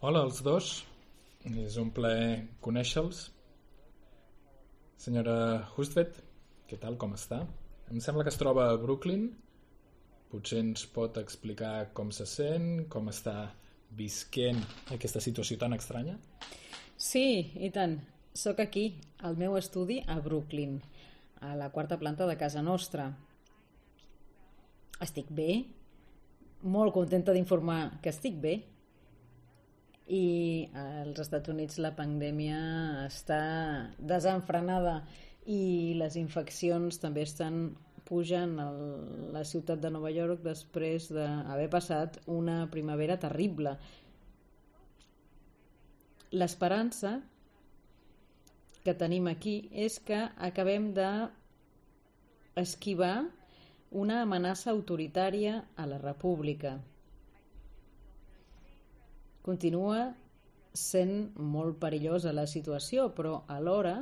Hola als dos, és un plaer conèixer-los. Senyora Hustvedt, què tal, com està? Em sembla que es troba a Brooklyn. Potser ens pot explicar com se sent, com està visquent aquesta situació tan estranya? Sí, i tant. Soc aquí, al meu estudi a Brooklyn, a la quarta planta de casa nostra. Estic bé, molt contenta d'informar que estic bé. I als Estats Units la pandèmia està desenfrenada i les infeccions també estan pujant a la ciutat de Nova York després d'haver passat una primavera terrible. L'esperança que tenim aquí és que acabem d'esquivar una amenaça autoritària a la república. Continua sent molt perillosa la situació, però alhora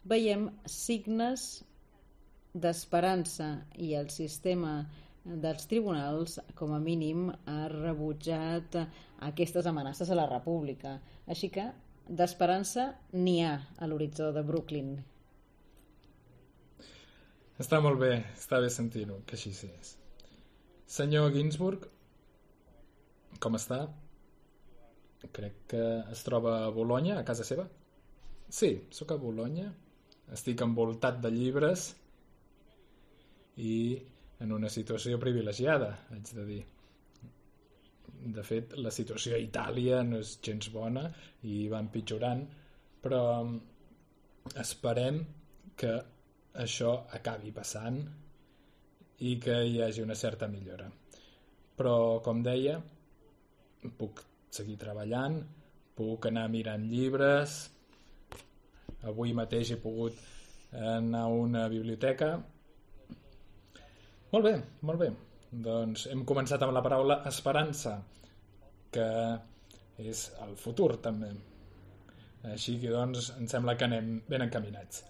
veiem signes d'esperança i el sistema dels tribunals, com a mínim, ha rebutjat aquestes amenaces a la república. Així que d'esperança n'hi ha a l'horitzó de Brooklyn. Està molt bé, està bé sentir-ho, que així és. Senyor Ginsburg, com està? Crec que es troba a Bolonya, a casa seva. Sí, sóc a Bolonya. Estic envoltat de llibres i en una situació privilegiada, haig de dir. De fet, la situació a Itàlia no és gens bona i va empitjorant, però esperem que això acabi passant i que hi hagi una certa millora. Però, com deia, puc seguir treballant, puc anar mirant llibres. Avui mateix he pogut anar a una biblioteca. Molt bé, molt bé. Doncs hem començat amb la paraula esperança, que és el futur també. Així que doncs em sembla que anem ben encaminats.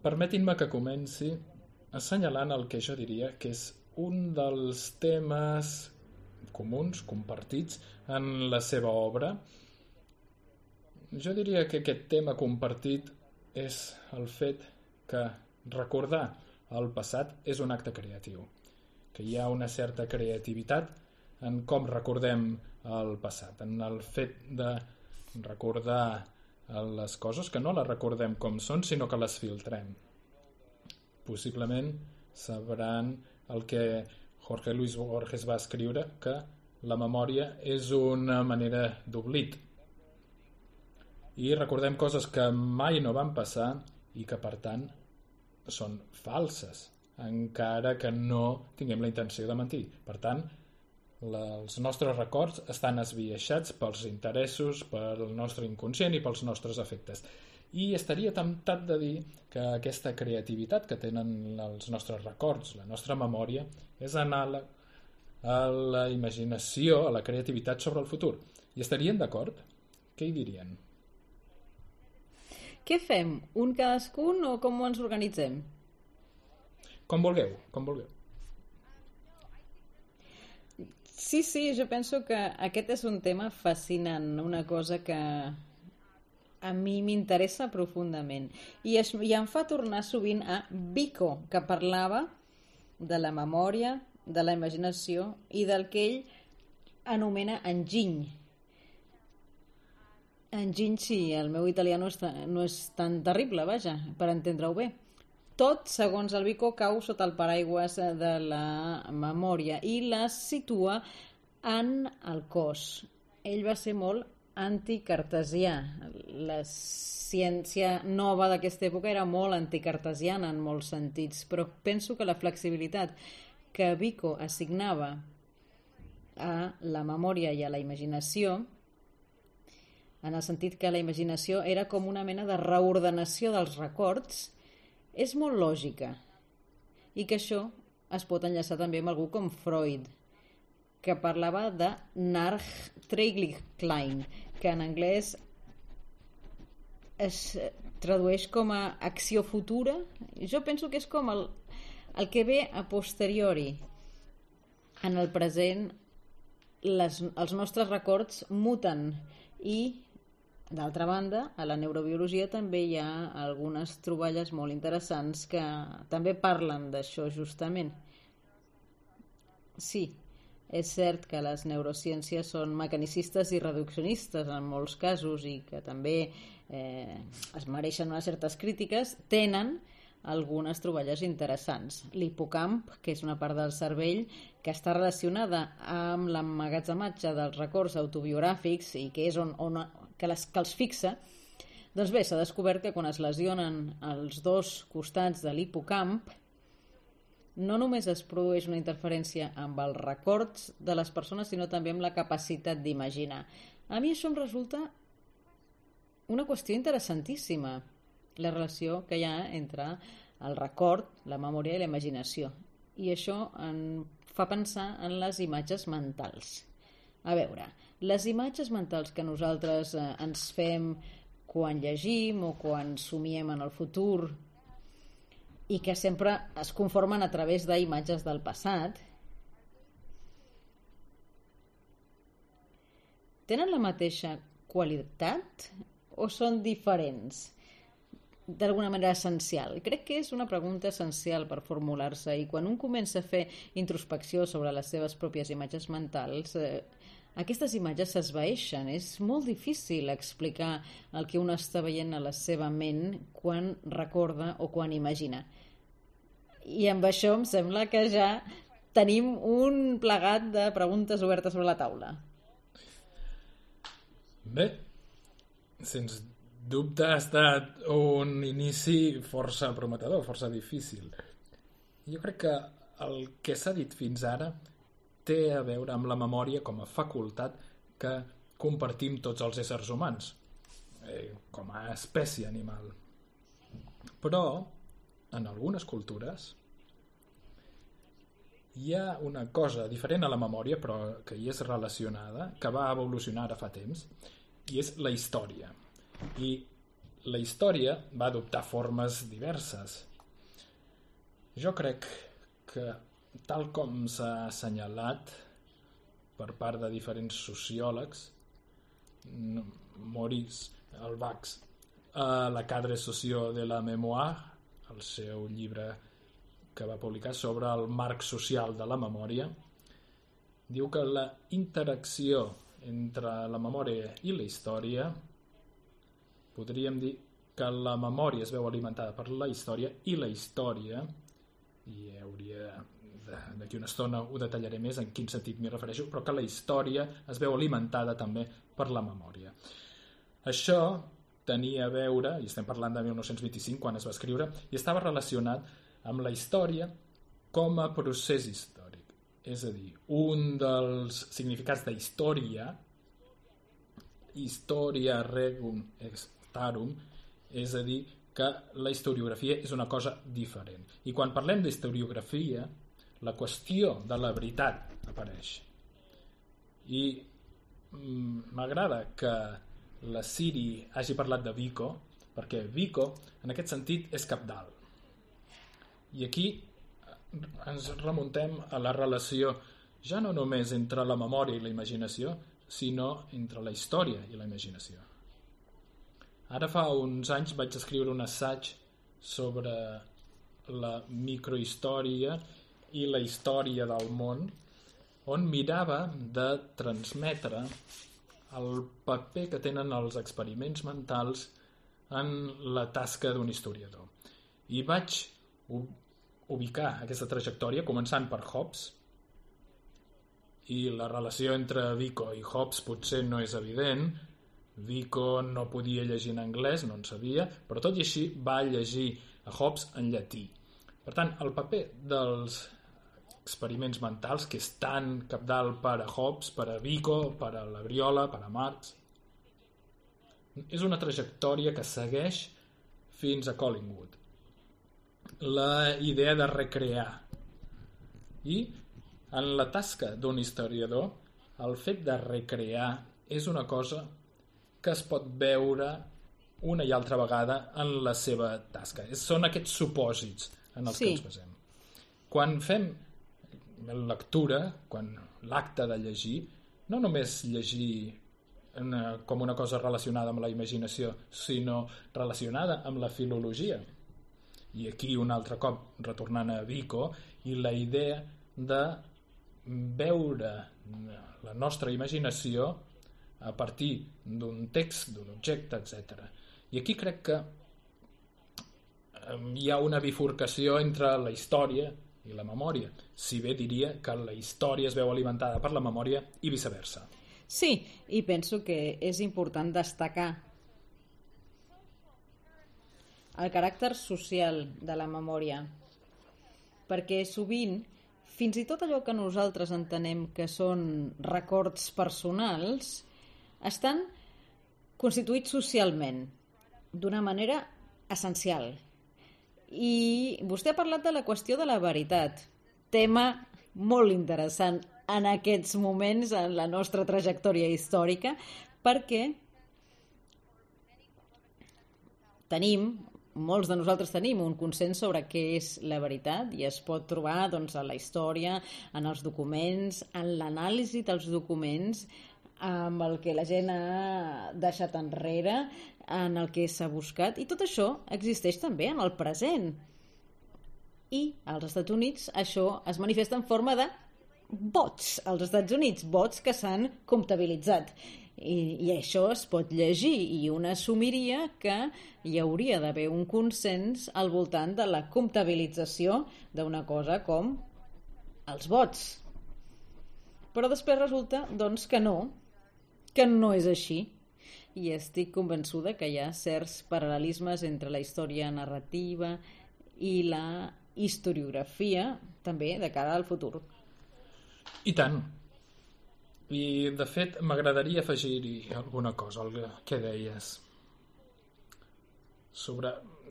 Permetin-me que comenci assenyalant el que jo diria que és un dels temes comuns, compartits en la seva obra. Jo diria que aquest tema compartit és el fet que recordar el passat és un acte creatiu, que hi ha una certa creativitat en com recordem el passat, en el fet de recordar les coses, que no les recordem com són, sinó que les filtrem. Possiblement sabran el que Jorge Luis Borges va escriure, que la memòria és una manera d'oblit. I recordem coses que mai no van passar i que, per tant, són falses, encara que no tinguem la intenció de mentir. Per tant, els nostres records estan esbiaixats pels interessos, pel nostre inconscient i pels nostres afectes. I estaria temptat de dir que aquesta creativitat que tenen els nostres records, la nostra memòria, és anàleg a la imaginació, a la creativitat sobre el futur. I estarien d'acord? Què hi dirien? Què fem? Un cadascun o com ens organitzem? Com vulgueu, com vulgueu. Sí, jo penso que aquest és un tema fascinant, una cosa que a mi m'interessa profundament. I em fa tornar sovint a Vico, que parlava de la memòria, de la imaginació i del que ell anomena enginy. Enginy, sí, el meu italià no és tan terrible, vaja, per entendre-ho bé. Tot, segons el Vico, cau sota el paraigües de la memòria i la situa en el cos. Ell va ser molt anticartesià. La ciència nova d'aquesta època era molt anticartesiana en molts sentits, però penso que la flexibilitat que Vico assignava a la memòria i a la imaginació, en el sentit que la imaginació era com una mena de reordenació dels records, és molt lògica, i que això es pot enllaçar també amb algú com Freud, que parlava de Nachträglichkeit, que en anglès es tradueix com a acció futura. Jo penso que és com el que ve a posteriori. En el present els nostres records muten i, d'altra banda, a la neurobiologia també hi ha algunes troballes molt interessants que també parlen d'això justament. Sí, és cert que les neurociències són mecanicistes i reduccionistes en molts casos i que també es mereixen unes certes crítiques, tenen algunes troballes interessants. L'hipocamp, que és una part del cervell que està relacionada amb l'emmagatzematge dels records autobiogràfics i que és que els fixa, doncs bé, s'ha descobert que quan es lesionen els dos costats de l'hipocamp no només es produeix una interferència amb els records de les persones, sinó també amb la capacitat d'imaginar. A mi això em resulta una qüestió interessantíssima, la relació que hi ha entre el record, la memòria i la imaginació. I això em fa pensar en les imatges mentals. A veure, les imatges mentals que nosaltres ens fem quan llegim o quan somiem en el futur i que sempre es conformen a través d'imatges del passat, tenen la mateixa qualitat o són diferents? D'alguna manera essencial. Crec que és una pregunta essencial per formular-se i quan un comença a fer introspecció sobre les seves pròpies imatges mentals, aquestes imatges s'esvaeixen. És molt difícil explicar el que un està veient a la seva ment quan recorda o quan imagina. I amb això em sembla que ja tenim un plegat de preguntes obertes sobre la taula. Bé, sens dubte ha estat un inici força prometedor, força difícil. Jo crec que el que s'ha dit fins ara té a veure amb la memòria com a facultat que compartim tots els éssers humans, com a espècie animal. Però, en algunes cultures, hi ha una cosa diferent a la memòria, però que hi és relacionada, que va evolucionar ara fa temps, i és la història. I la història va adoptar formes diverses. Jo crec que, tal com s'ha assenyalat per part de diferents sociòlegs, Maurice Halbwachs, a la cadre socio de la mémoire, el seu llibre que va publicar sobre el marc social de la memòria, diu que la interacció entre la memòria i la història, podríem dir que la memòria es veu alimentada per la història i la història, i d'aquí una estona ho detallaré més en quin sentit m'hi refereixo, però que la història es veu alimentada també per la memòria. Això tenia a veure, i estem parlant de 1925 quan es va escriure, i estava relacionat amb la història com a procés històric. És a dir, un dels significats de història regum starum, és a dir, que la historiografia és una cosa diferent. I quan parlem d'historiografia, la qüestió de la veritat apareix. I m'agrada que la Siri hagi parlat de Vico, perquè Vico, en aquest sentit, és cabdal. I aquí ens remuntem a la relació ja no només entre la memòria i la imaginació, sinó entre la història i la imaginació. Ara fa uns anys vaig escriure un assaig sobre la microhistòria i la història del món, on mirava de transmetre el paper que tenen els experiments mentals en la tasca d'un historiador. I vaig ubicar aquesta trajectòria començant per Hobbes, i la relació entre Vico i Hobbes potser no és evident. Vico no podia llegir en anglès, no en sabia, però tot i així va llegir a Hobbes en llatí. Per tant, el paper dels experiments mentals, que és tan cabdal per a Hobbes, per a Vico, per a la Briola, per a Marx, és una trajectòria que segueix fins a Collingwood. La idea de recrear. I en la tasca d'un historiador, el fet de recrear és una cosa que es pot veure una i altra vegada en la seva tasca. Són aquests supòsits en els que ens basem. Quan fem lectura, quan l'acte de llegir, no només llegir com una cosa relacionada amb la imaginació, sinó relacionada amb la filologia. I aquí un altre cop retornant a Vico i la idea de veure la nostra imaginació a partir d'un text, d'un objecte, etc. I aquí crec que hi ha una bifurcació entre la història i la memòria, si bé diria que la història es veu alimentada per la memòria i viceversa. Sí, i penso que és important destacar el caràcter social de la memòria, perquè sovint, fins i tot allò que nosaltres entenem que són records personals, estan constituïts socialment, d'una manera essencial. I vostè ha parlat de la qüestió de la veritat, tema molt interessant en aquests moments en la nostra trajectòria històrica, perquè molts de nosaltres tenim un consens sobre què és la veritat i es pot trobar doncs, a la història, en els documents, en l'anàlisi dels documents, amb el que la gent ha deixat enrere, en el que s'ha buscat, i tot això existeix també en el present. I als Estats Units això es manifesta en forma de vots als Estats Units, vots que s'han comptabilitzat. I això es pot llegir i un assumiria que hi hauria d'haver un consens al voltant de la comptabilització d'una cosa com els vots. Però després resulta doncs, que no és així. I estic convençuda que hi ha certs paral·lelismes entre la història narrativa i la historiografia, també de cara al futur. I tant. I, de fet, m'agradaria afegir-hi alguna cosa al que deies.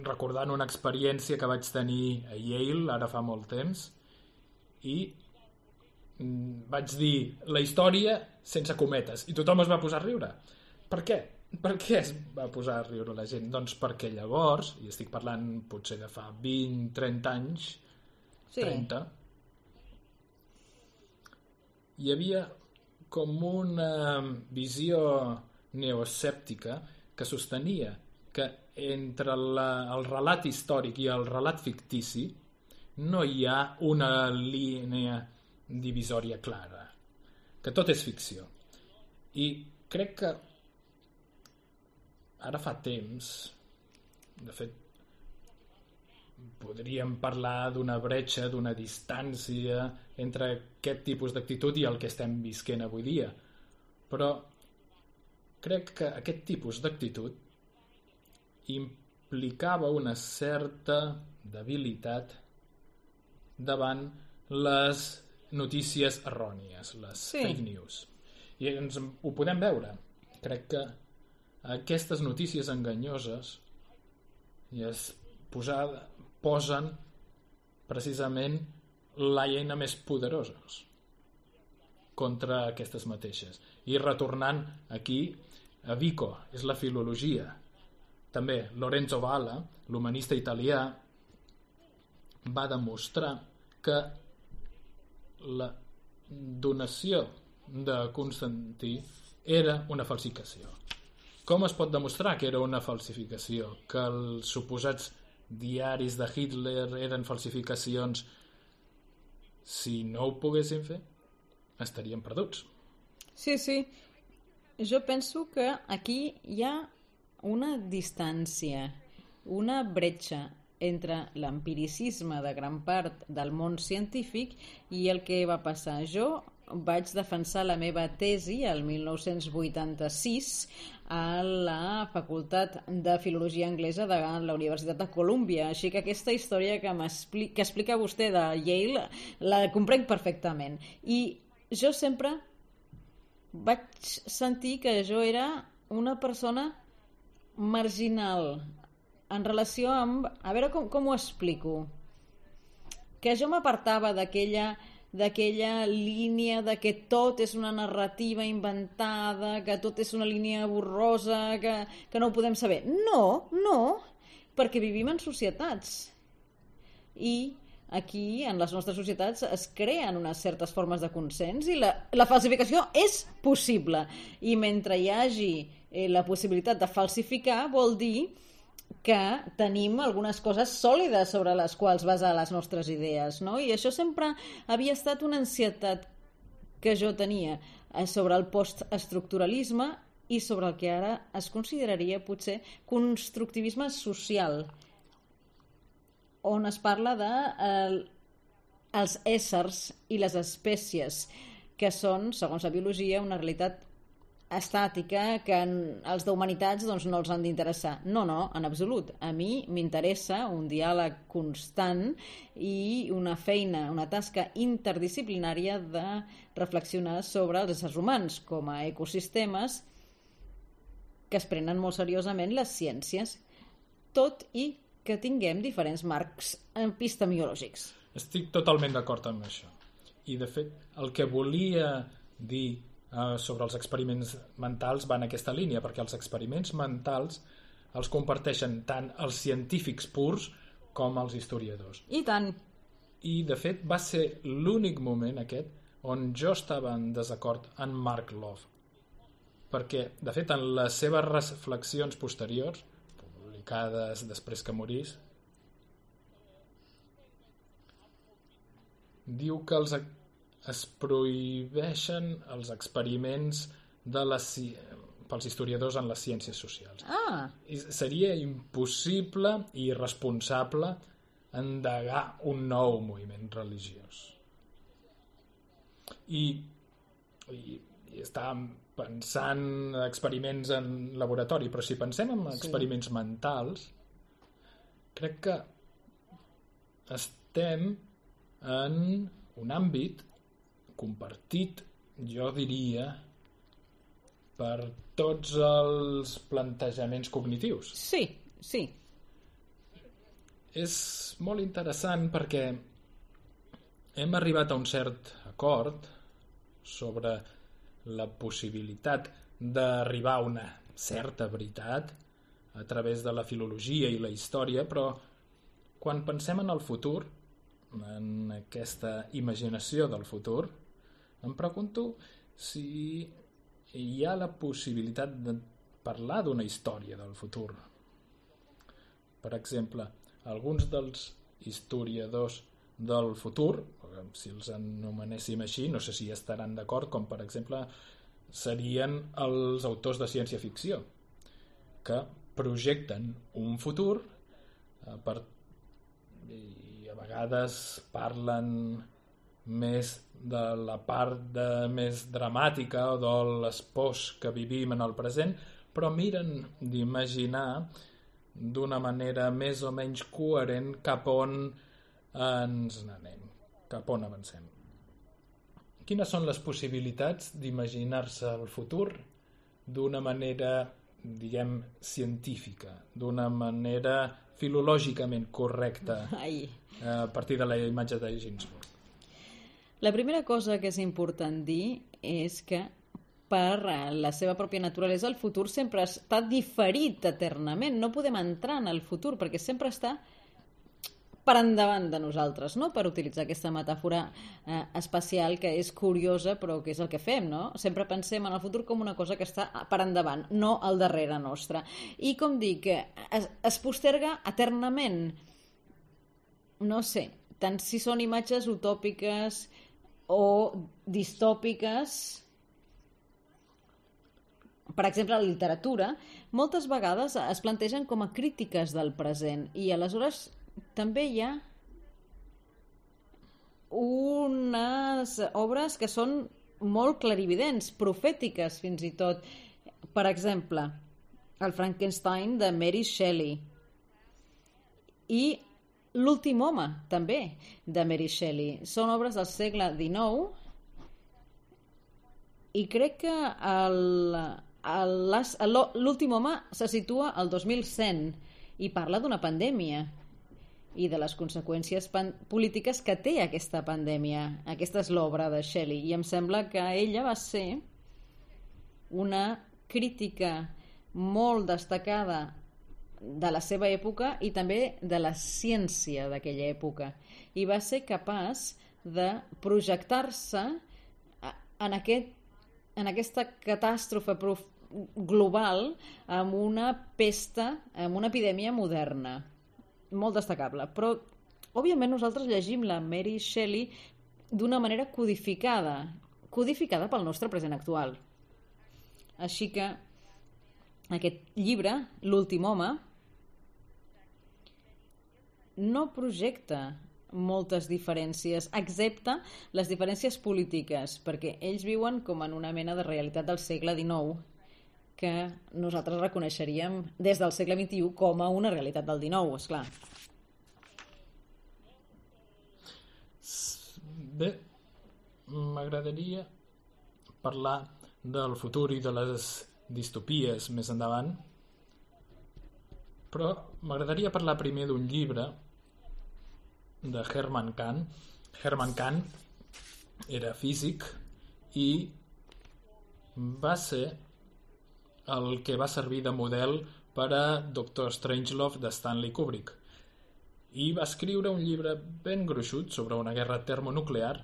Recordant una experiència que vaig tenir a Yale, ara fa molt temps, i vaig dir la història sense cometes, i tothom es va posar a riure. Per què? Per què es va posar a riure la gent? Doncs perquè llavors, i estic parlant potser de fa 20-30 anys, sí. 30, hi havia com una visió neoescèptica que sostenia que entre el relat històric i el relat fictici no hi ha una línia divisòria clara, que tot és ficció. I crec que ara fa temps, de fet, podríem parlar d'una bretxa, d'una distància entre aquest tipus d'actitud i el que estem visquent avui dia. Però crec que aquest tipus d'actitud implicava una certa debilitat davant les notícies errònies, les fake news. I ho podem veure. Crec que aquestes notícies enganyoses posen precisament l'eina més poderosa contra aquestes mateixes. I retornant aquí a Vico, és la filologia. També Lorenzo Valla, l'humanista italià, va demostrar que la donació de Constantí era una falsificació. Com es pot demostrar que era una falsificació? Que els suposats diaris de Hitler eren falsificacions? Si no ho poguessin fer, estaríem perduts. Sí, sí. Jo penso que aquí hi ha una distància, una bretxa entre l'empiricisme de gran part del món científic i el que va passar. Jo vaig defensar la meva tesi el 1986 a la Facultat de Filologia Anglesa de la Universitat de Colúmbia, així que aquesta història que explica vostè de Yale la comprenc perfectament. I jo sempre vaig sentir que jo era una persona marginal en relació amb... A veure com ho explico. Que jo m'apartava d'aquella línia de que tot és una narrativa inventada, que tot és una línia borrosa, que no ho podem saber. No, perquè vivim en societats. I aquí, en les nostres societats, es creen unes certes formes de consens i la falsificació és possible. I mentre hi hagi la possibilitat de falsificar, vol dir que tenim algunes coses sòlides sobre les quals basar les nostres idees, no? I això sempre havia estat una ansietat que jo tenia sobre el postestructuralisme i sobre el que ara es consideraria potser constructivisme social, on es parla de els éssers i les espècies, que són, segons la biologia, una realitat estàtica que els d'humanitats doncs, no els han d'interessar. No, en absolut. A mi m'interessa un diàleg constant i una feina, una tasca interdisciplinària de reflexionar sobre els éssers humans com a ecosistemes que es prenen molt seriosament les ciències, tot i que tinguem diferents marcs epistemològics. Estic totalment d'acord amb això. I, de fet, el que volia dir sobre els experiments mentals va en aquesta línia, perquè els experiments mentals els comparteixen tant els científics purs com els historiadors. I tant. I, de fet, va ser l'únic moment aquest on jo estava en desacord amb Mark Love. Perquè, de fet, en les seves reflexions posteriors, publicades després que morís, diu que es prohibeixen els experiments pels historiadors en les ciències socials. I seria impossible i irresponsable endegar un nou moviment religiós. I estàvem pensant experiments en laboratori, però si pensem en experiments mentals, crec que estem en un àmbit compartit, jo diria, per tots els plantejaments cognitius. Sí. És molt interessant perquè hem arribat a un cert acord sobre la possibilitat d'arribar a una certa veritat a través de la filologia i la història, però quan pensem en el futur, en aquesta imaginació del futur, em pregunto si hi ha la possibilitat de parlar d'una història del futur. Per exemple, alguns dels historiadors del futur, si els anomenéssim així, no sé si estaran d'acord, com per exemple serien els autors de ciència-ficció, que projecten un futur i a vegades parlen més de la part més dramàtica o de les pors que vivim en el present, però miren d'imaginar d'una manera més o menys coherent cap on ens n'anem, cap on avancem. Quines són les possibilitats d'imaginar-se el futur d'una manera, diguem, científica, d'una manera filològicament correcta a partir de la imatge de Ginsburg? La primera cosa que és important dir és que per la seva pròpia naturalesa el futur sempre està diferit eternament. No podem entrar en el futur perquè sempre està per endavant de nosaltres, no? Per utilitzar aquesta metàfora espacial que és curiosa però que és el que fem, no? Sempre pensem en el futur com una cosa que està per endavant, no al darrere nostre. I com dic, es posterga eternament. No sé, tant si són imatges utòpiques o distòpiques. Per exemple, la literatura moltes vegades es plantegen com a crítiques del present i aleshores també hi ha unes obres que són molt clarividents, profètiques fins i tot. Per exemple, el Frankenstein de Mary Shelley i L'últim home, també, de Mary Shelley. Són obres del segle XIX i crec que L'últim home se situa al 2100 i parla d'una pandèmia i de les conseqüències polítiques que té aquesta pandèmia. Aquesta és l'obra de Shelley i em sembla que ella va ser una crítica molt destacada de la seva època i també de la ciència d'aquella època, i va ser capaç de projectar-se en aquesta catàstrofe global amb una pesta, amb una epidèmia moderna molt destacable. Però òbviament nosaltres llegim la Mary Shelley d'una manera codificada pel nostre present actual. Així que aquest llibre, L'últim home, no projecta moltes diferències, excepte les diferències polítiques, perquè ells viuen com en una mena de realitat del segle XIX que nosaltres reconeixeríem des del segle XXI com a una realitat del XIX, esclar. Bé, m'agradaria parlar del futur i de les distopies més endavant, però m'agradaria parlar primer d'un llibre de Hermann Kahn. Hermann Kahn era físic i va ser el que va servir de model per a Doctor Strangelove de Stanley Kubrick, i va escriure un llibre ben gruixut sobre una guerra termonuclear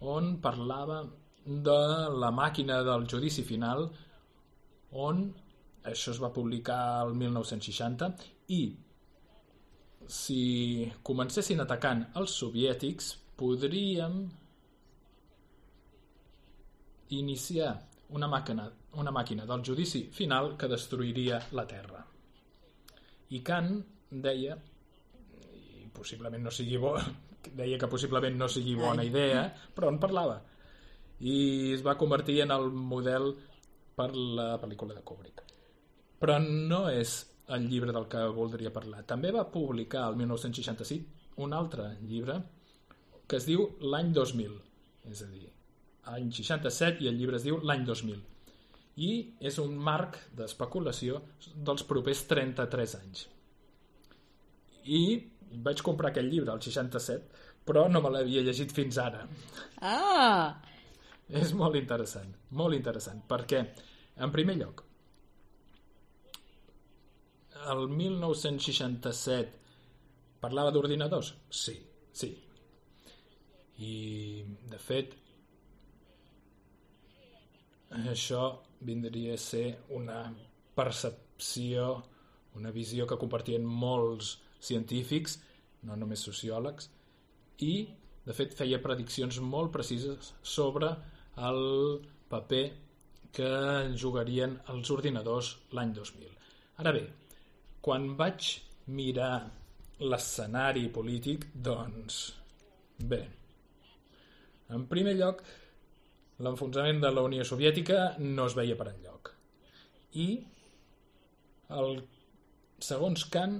on parlava de la màquina del judici final, on això es va publicar el 1960, i si comencessin atacant els soviètics podríem iniciar una màquina del judici final que destruiria la Terra. I Kant deia, i possiblement no sigui deia que possiblement no sigui bona idea, però en parlava, i es va convertir en el model per la pel·lícula de Kubrick. Però no és el llibre del que voldria parlar. També va publicar el 1965 un altre llibre que es diu L'any 2000, és a dir, any 67, i el llibre es diu L'any 2000. I és un marc d'especulació dels propers 33 anys. I vaig comprar aquell llibre al 67, però no me l'havia llegit fins ara. Ah! És molt interessant, perquè, en primer lloc, el 1967 parlava d'ordinadors? Sí. I, de fet, això vindria a ser una percepció, una visió que compartien molts científics, no només sociòlegs, i, de fet, feia prediccions molt precises sobre el paper que jugarien els ordinadors l'any 2000. Ara bé, quan vaig mirar l'escenari polític, doncs, bé, en primer lloc, l'enfonsament de la Unió Soviètica no es veia per enlloc. I, segons Kant,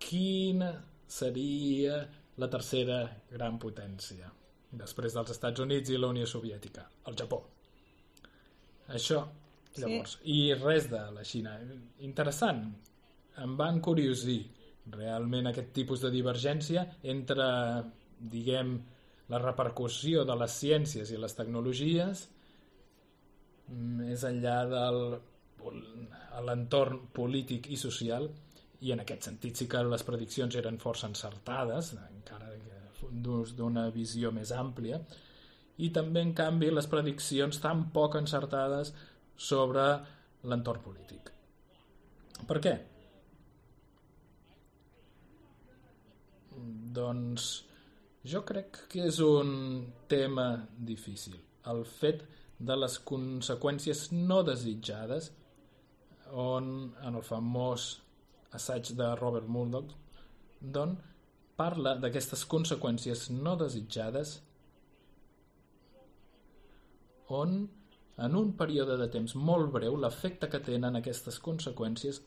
quina seria la tercera gran potència després dels Estats Units i la Unió Soviètica? El Japó. Això, llavors. Sí. I res de la Xina. Interessant. Em va encuriosir realment aquest tipus de divergència entre, diguem, la repercussió de les ciències i les tecnologies més enllà de l'entorn polític i social, i en aquest sentit sí que les prediccions eren força encertades, encara d'una visió més àmplia, i també, en canvi, les prediccions tan poc encertades sobre l'entorn polític. Per què? Doncs jo crec que és un tema difícil. El fet de les conseqüències no desitjades, on en el famós assaig de Robert Murdoch parla d'aquestes conseqüències no desitjades, on en un període de temps molt breu l'efecte que tenen aquestes conseqüències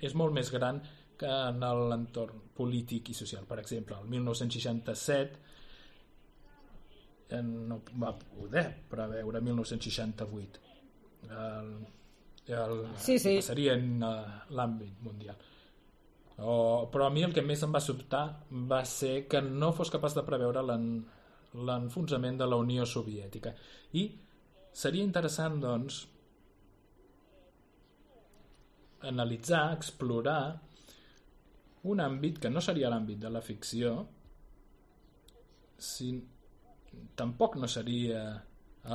és molt més gran que en l'entorn polític i social. Per exemple, el 1967 no va poder preveure 1968 sí. Que passaria en l'àmbit mundial. Però a mi el que més em va sobtar va ser que no fos capaç de preveure l'enfonsament de la Unió Soviètica. I seria interessant, doncs, analitzar, explorar un àmbit que no seria l'àmbit de la ficció, tampoc no seria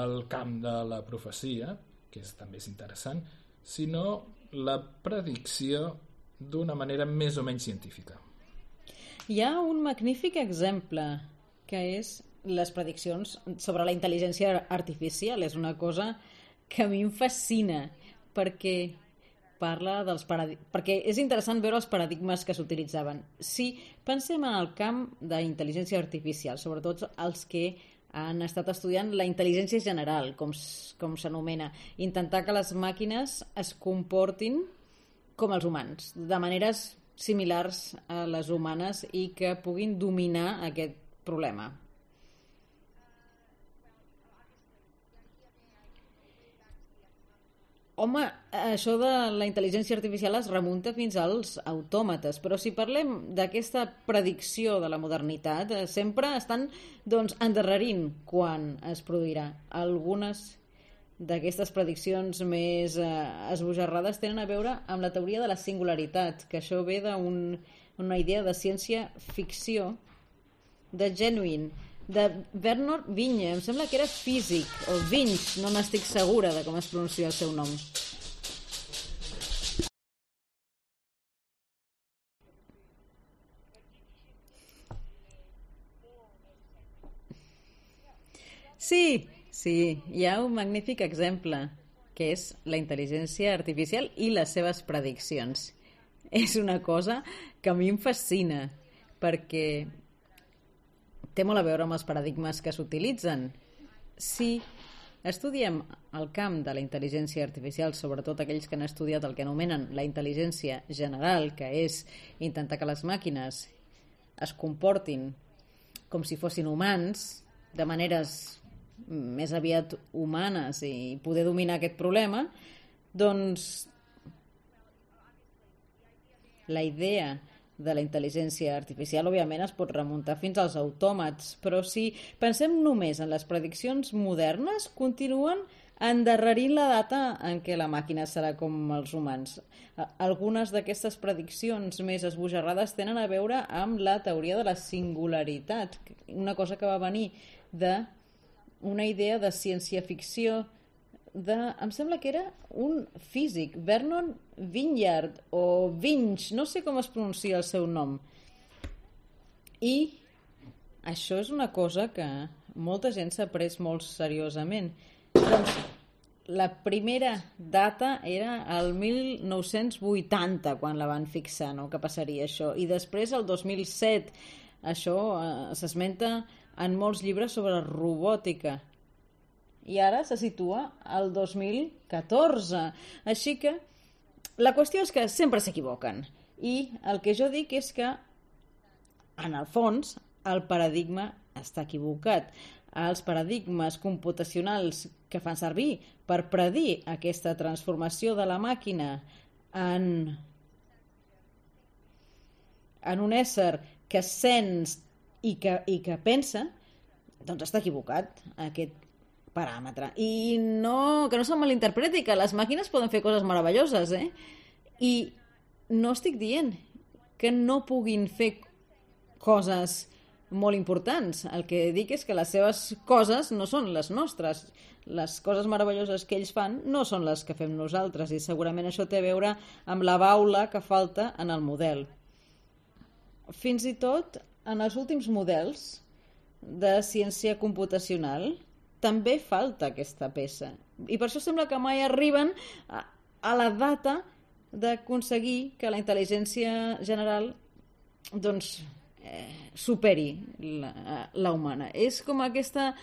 el camp de la profecia, que també és interessant, sinó la predicció d'una manera més o menys científica. Hi ha un magnífic exemple, que és les prediccions sobre la intel·ligència artificial. És una cosa que a mi em fascina, perquè parla perquè és interessant veure els paradigmes que s'utilitzaven. Si pensem en el camp d'intel·ligència artificial, sobretot els que han estat estudiant la intel·ligència general, com s'anomena, intentar que les màquines es comportin com els humans, de maneres similars a les humanes i que puguin dominar aquest problema. Home, això de la intel·ligència artificial es remunta fins als autòmates, però si parlem d'aquesta predicció de la modernitat, sempre estan endarrerint quan es produirà. Algunes d'aquestes prediccions més esbojarrades tenen a veure amb la teoria de la singularitat, que això ve d'una idea de ciència-ficció de Genuine, de Bernard Vinge. Em sembla que era físic, o Vinge, no n'estic segura de com es pronuncia el seu nom. Sí, hi ha un magnífic exemple, que és la intel·ligència artificial i les seves prediccions. És una cosa que a mi em fascina, perquè té molt a veure amb els paradigmes que s'utilitzen. Si estudiem el camp de la intel·ligència artificial, sobretot aquells que han estudiat el que anomenen la intel·ligència general, que és intentar que les màquines es comportin com si fossin humans, de maneres més aviat humanes i poder dominar aquest problema, doncs la idea de la intel·ligència artificial, òbviament, es pot remuntar fins als autòmats, però si pensem només en les prediccions modernes, continuen endarrerint la data en què la màquina serà com els humans. Algunes d'aquestes prediccions més esbojarrades tenen a veure amb la teoria de la singularitat, una cosa que va venir d'una idea de ciència-ficció em sembla que era un físic, Vernon Vineyard o Vinge, no sé com es pronuncia el seu nom. I això és una cosa que molta gent s'ha pres molt seriosament. Doncs la primera data era el 1980, quan la van fixar, no? Que passaria això. I després, el 2007, això s'esmenta en molts llibres sobre robòtica. I ara se situa al 2014. Així que la qüestió és que sempre s'equivoquen. I el que jo dic és que, en el fons, el paradigma està equivocat. Els paradigmes computacionals que fan servir per predir aquesta transformació de la màquina en un ésser que sent i que pensa, doncs està equivocat aquest paràmetre. I que no se'm malinterpreti, que les màquines poden fer coses meravelloses, I no estic dient que no puguin fer coses molt importants. El que dic és que les seves coses no són les nostres. Les coses meravelloses que ells fan no són les que fem nosaltres, i segurament això té a veure amb la baula que falta en el model. Fins i tot en els últims models de ciència computacional també falta aquesta peça. I per això sembla que mai arriben a la data d'aconseguir que la intel·ligència general superi la humana. És com aquesta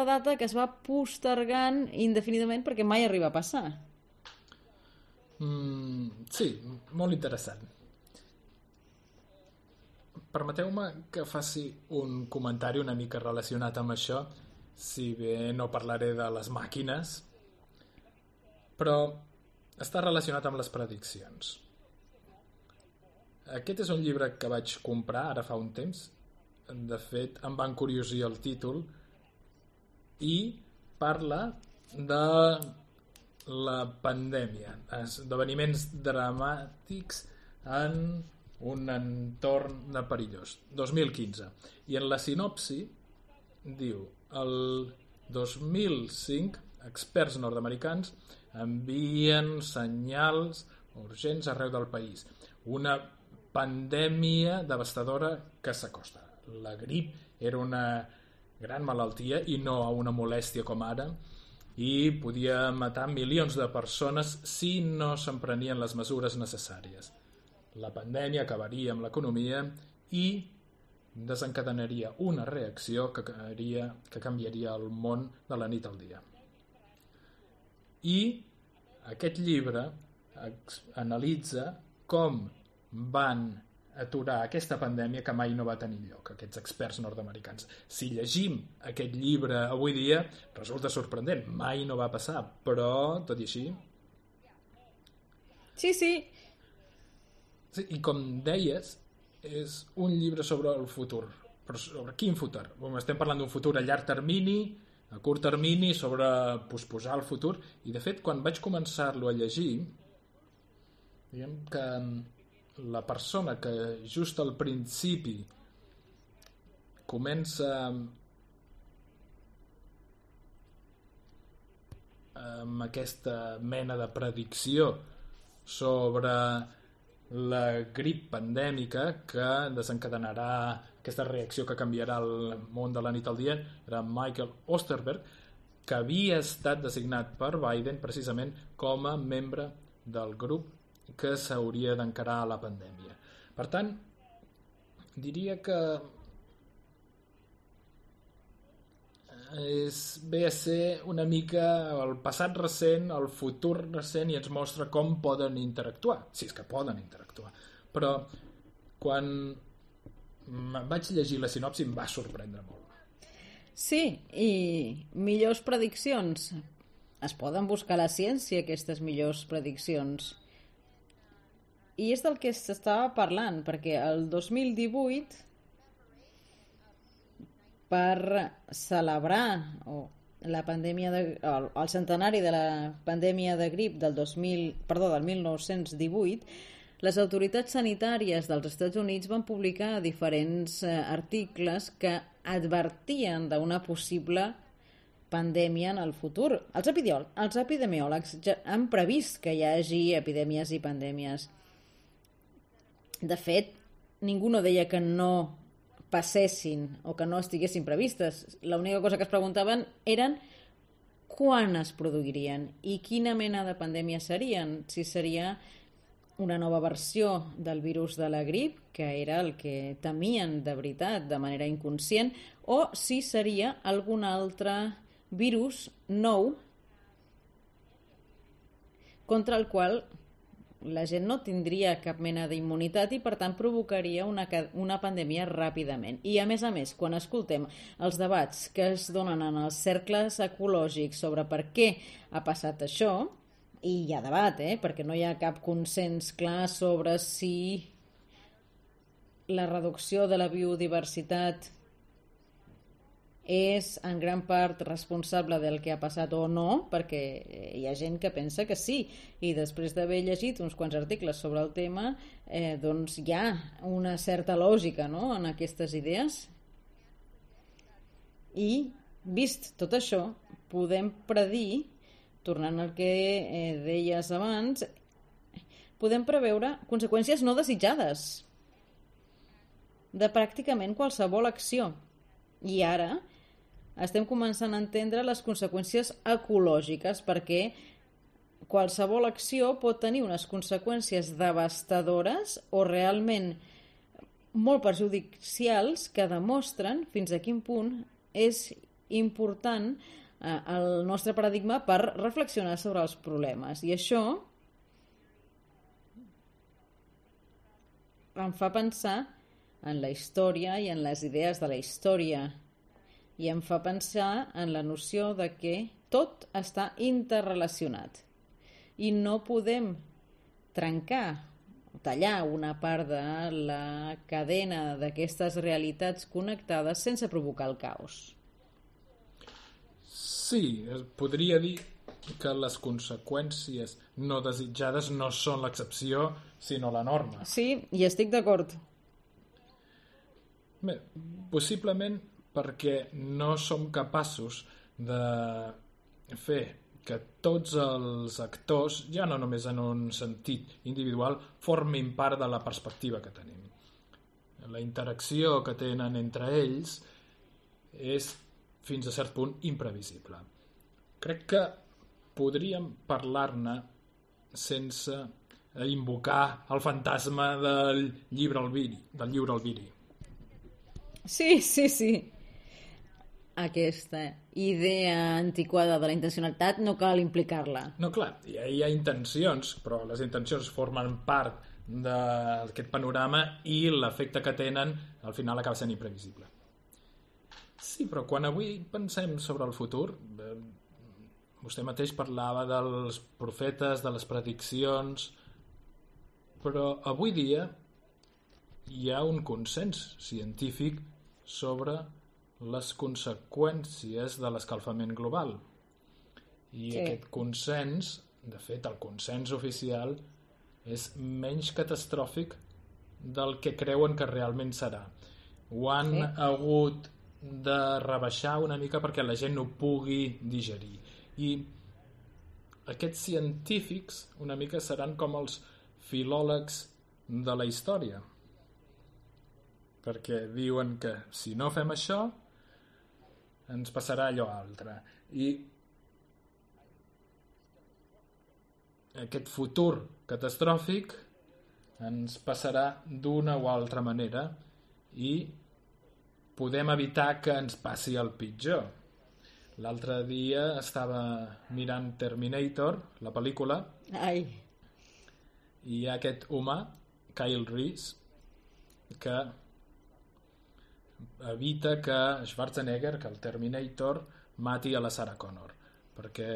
data que es va postergant indefinidament perquè mai arriba a passar. Sí, molt interessant. Permeteu-me que faci un comentari una mica relacionat amb això, si bé no parlaré de les màquines, però està relacionat amb les prediccions. Aquest és un llibre que vaig comprar ara fa un temps. De fet, em va encuriosir el títol i parla de la pandèmia, esdeveniments dramàtics en un entorn perillós. 2015. I en la sinopsi diu: el 2005 experts nord-americans envien senyals urgents arreu del país. Una pandèmia devastadora que s'acosta. La grip era una gran malaltia i no una molèstia com ara, i podia matar milions de persones si no s'emprenien les mesures necessàries. La pandèmia acabaria amb l'economia i desencadenaria una reacció que canviaria el món de la nit al dia. I aquest llibre analitza com van aturar aquesta pandèmia que mai no va tenir lloc, aquests experts nord-americans. Si llegim aquest llibre avui dia, resulta sorprenent, mai no va passar, però, tot i així... Sí. Sí, i com deies, és un llibre sobre el futur. Però sobre quin futur? Estem parlant d'un futur a llarg termini, a curt termini, sobre posposar el futur, i de fet, quan vaig començar-lo a llegir, diguem que la persona que just al principi comença amb aquesta mena de predicció sobre la grip pandèmica que desencadenarà aquesta reacció que canviarà el món de la nit al dia, era Michael Osterberg, que havia estat designat per Biden precisament com a membre del grup que s'hauria d'encarar a la pandèmia. Per tant, diria que ve a ser una mica el passat recent, el futur recent, i ens mostra com poden interactuar, si és que poden interactuar. Però quan vaig llegir la sinopsi em va sorprendre molt. Sí, i millors prediccions. Es poden buscar a la ciència, aquestes millors prediccions. I és del que s'estava parlant, perquè el 2018, per celebrar la pandèmia el centenari de la pandèmia de grip del 1918, les autoritats sanitàries dels Estats Units van publicar diferents articles que advertien d'una possible pandèmia en el futur. Els epidemiòlegs ja han previst que hi hagi epidèmies i pandèmies. De fet, ningú no deia que no passessin o que no estiguessin previstes. L'única cosa que es preguntaven eren quan es produirien i quina mena de pandèmia serien. Si seria una nova versió del virus de la grip, que era el que temien de veritat, de manera inconscient, o si seria algun altre virus nou contra el qual la gent no tindria cap mena d'immunitat i per tant provocaria una pandèmia ràpidament. I a més, quan escoltem els debats que es donen en els cercles ecològics sobre per què ha passat això, i hi ha debat, perquè no hi ha cap consens clar sobre si la reducció de la biodiversitat és en gran part responsable del que ha passat o no, perquè hi ha gent que pensa que sí, i després d'haver llegit uns quants articles sobre el tema, doncs hi ha una certa lògica, no?, en aquestes idees. I, vist tot això, podem predir, tornant al que deies abans, podem preveure conseqüències no desitjades de pràcticament qualsevol acció. I ara estem començant a entendre les conseqüències ecològiques, perquè qualsevol acció pot tenir unes conseqüències devastadores o realment molt perjudicials que demostren fins a quin punt és important el nostre paradigma per reflexionar sobre els problemes. I això em fa pensar en la història i en les idees de la història, i em fa pensar en la noció de que tot està interrelacionat i no podem trencar o tallar una part de la cadena d'aquestes realitats connectades sense provocar el caos. Sí, es podria dir que les conseqüències no desitjades no són l'excepció, sinó la norma. Sí, i estic d'acord. Bé, possiblement perquè no som capaços de fer que tots els actors, ja no només en un sentit individual, formin part de la perspectiva que tenim. La interacció que tenen entre ells és, fins a cert punt, imprevisible. Crec que podríem parlar-ne sense invocar el fantasma del llibre Albiri. Sí. Aquesta idea antiquada de la intencionalitat no cal implicar-la. No, clar, hi ha intencions, però les intencions formen part d'aquest panorama i l'efecte que tenen al final acaba sent imprevisible. Sí, però quan avui pensem sobre el futur, vostè mateix parlava dels profetes, de les prediccions, però avui dia hi ha un consens científic sobre les conseqüències de l'escalfament global. I Sí. aquest consens, de fet, el consens oficial, és menys catastròfic del que creuen que realment serà. Ho han Sí. hagut de rebaixar una mica perquè la gent no pugui digerir. I aquests científics una mica seran com els filòlegs de la història, perquè diuen que si no fem això ens passarà allò altre. I aquest futur catastròfic ens passarà d'una o altra manera i podem evitar que ens passi el pitjor. L'altre dia estava mirant Terminator, la pel·lícula, Ai, i hi ha aquest humà, Kyle Reese, que evita que Schwarzenegger, que el Terminator, mati a la Sarah Connor, perquè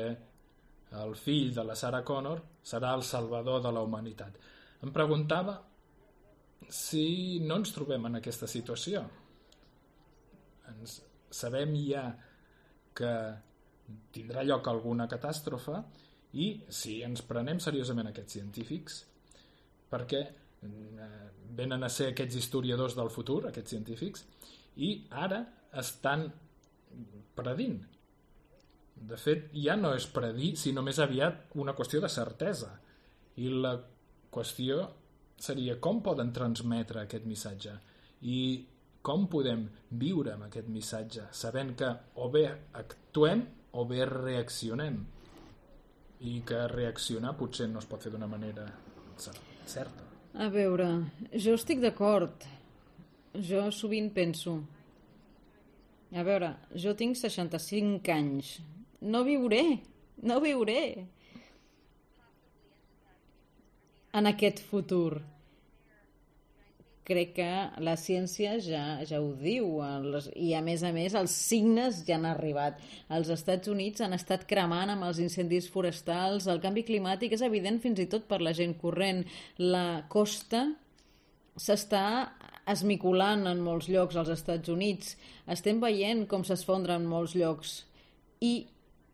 el fill de la Sarah Connor serà el salvador de la humanitat. Em preguntava si no ens trobem en aquesta situació. Sabem ja que tindrà lloc alguna catàstrofe i si ens prenem seriosament aquests científics, perquè venen a ser aquests historiadors del futur, aquests científics, i ara estan predint. De fet, ja no és predir, sinó més aviat una qüestió de certesa. I la qüestió seria com poden transmetre aquest missatge i com podem viure amb aquest missatge, sabent que o bé actuem o bé reaccionem, i que reaccionar potser no es pot fer d'una manera certa. a veure, jo estic d'acord. Jo sovint penso, a veure, jo tinc 65 anys. No viuré en aquest futur. Crec que la ciència ja ho diu, i a més els signes ja han arribat. Els Estats Units han estat cremant amb els incendis forestals, el canvi climàtic és evident fins i tot per la gent corrent. La costa s'està esmicolant en molts llocs als Estats Units. Estem veient com s'esfondra en molts llocs. I,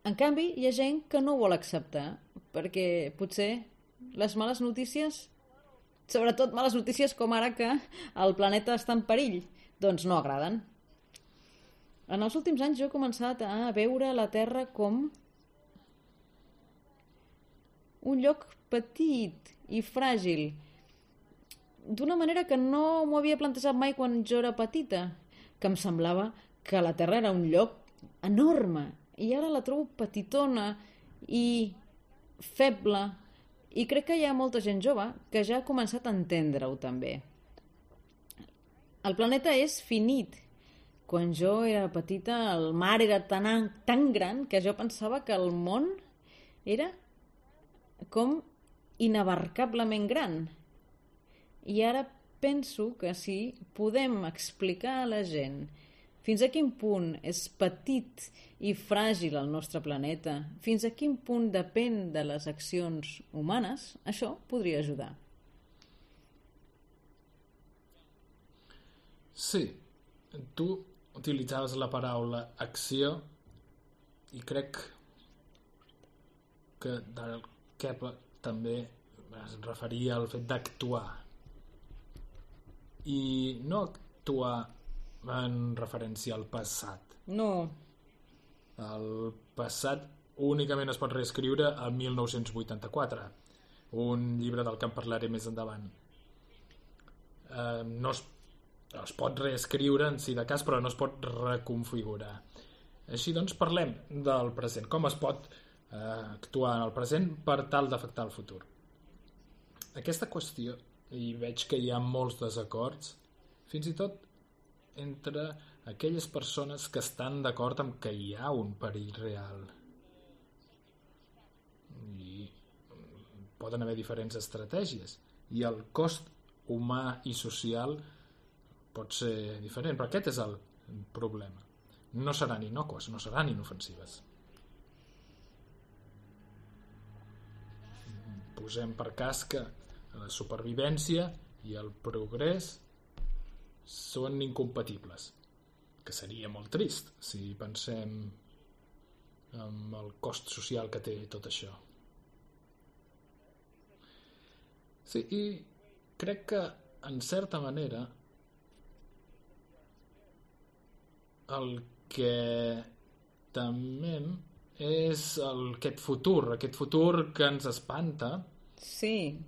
en canvi, hi ha gent que no ho vol acceptar, perquè potser les males notícies, sobretot males notícies com ara que el planeta està en perill, doncs no agraden. En els últims anys jo he començat a veure la Terra com un lloc petit i fràgil, d'una manera que no m'ho havia plantejat mai quan jo era petita, que em semblava que la Terra era un lloc enorme, i ara la trobo petitona i feble, i crec que hi ha molta gent jove que ja ha començat a entendre-ho també. El planeta és finit. Quan jo era petita el mar era tan gran que jo pensava que el món era com inabarcablement gran. I ara penso que si podem explicar a la gent fins a quin punt és petit i fràgil el nostre planeta, fins a quin punt depèn de les accions humanes, això podria ajudar. Sí, tu utilitzaves la paraula acció i crec que Daryl Kepler també es referia al fet d'actuar, i no actuar en referència al passat. No. El passat únicament es pot reescriure el 1984, un llibre del que en parlaré més endavant. No es pot reescriure en si de cas, però no es pot reconfigurar. Així doncs parlem del present, com es pot actuar en el present per tal d'afectar el futur. Aquesta qüestió, i veig que hi ha molts desacords, fins i tot entre aquelles persones que estan d'acord amb que hi ha un perill real. I poden haver diferents estratègies, i el cost humà i social pot ser diferent, però aquest és el problema. No seran innocues, no seran inofensives. Posem per cas que la supervivència i el progrés són incompatibles, que seria molt trist si pensem en el cost social que té tot això. Sí, i crec que en certa manera el que temem és aquest futur que ens espanta. Sí.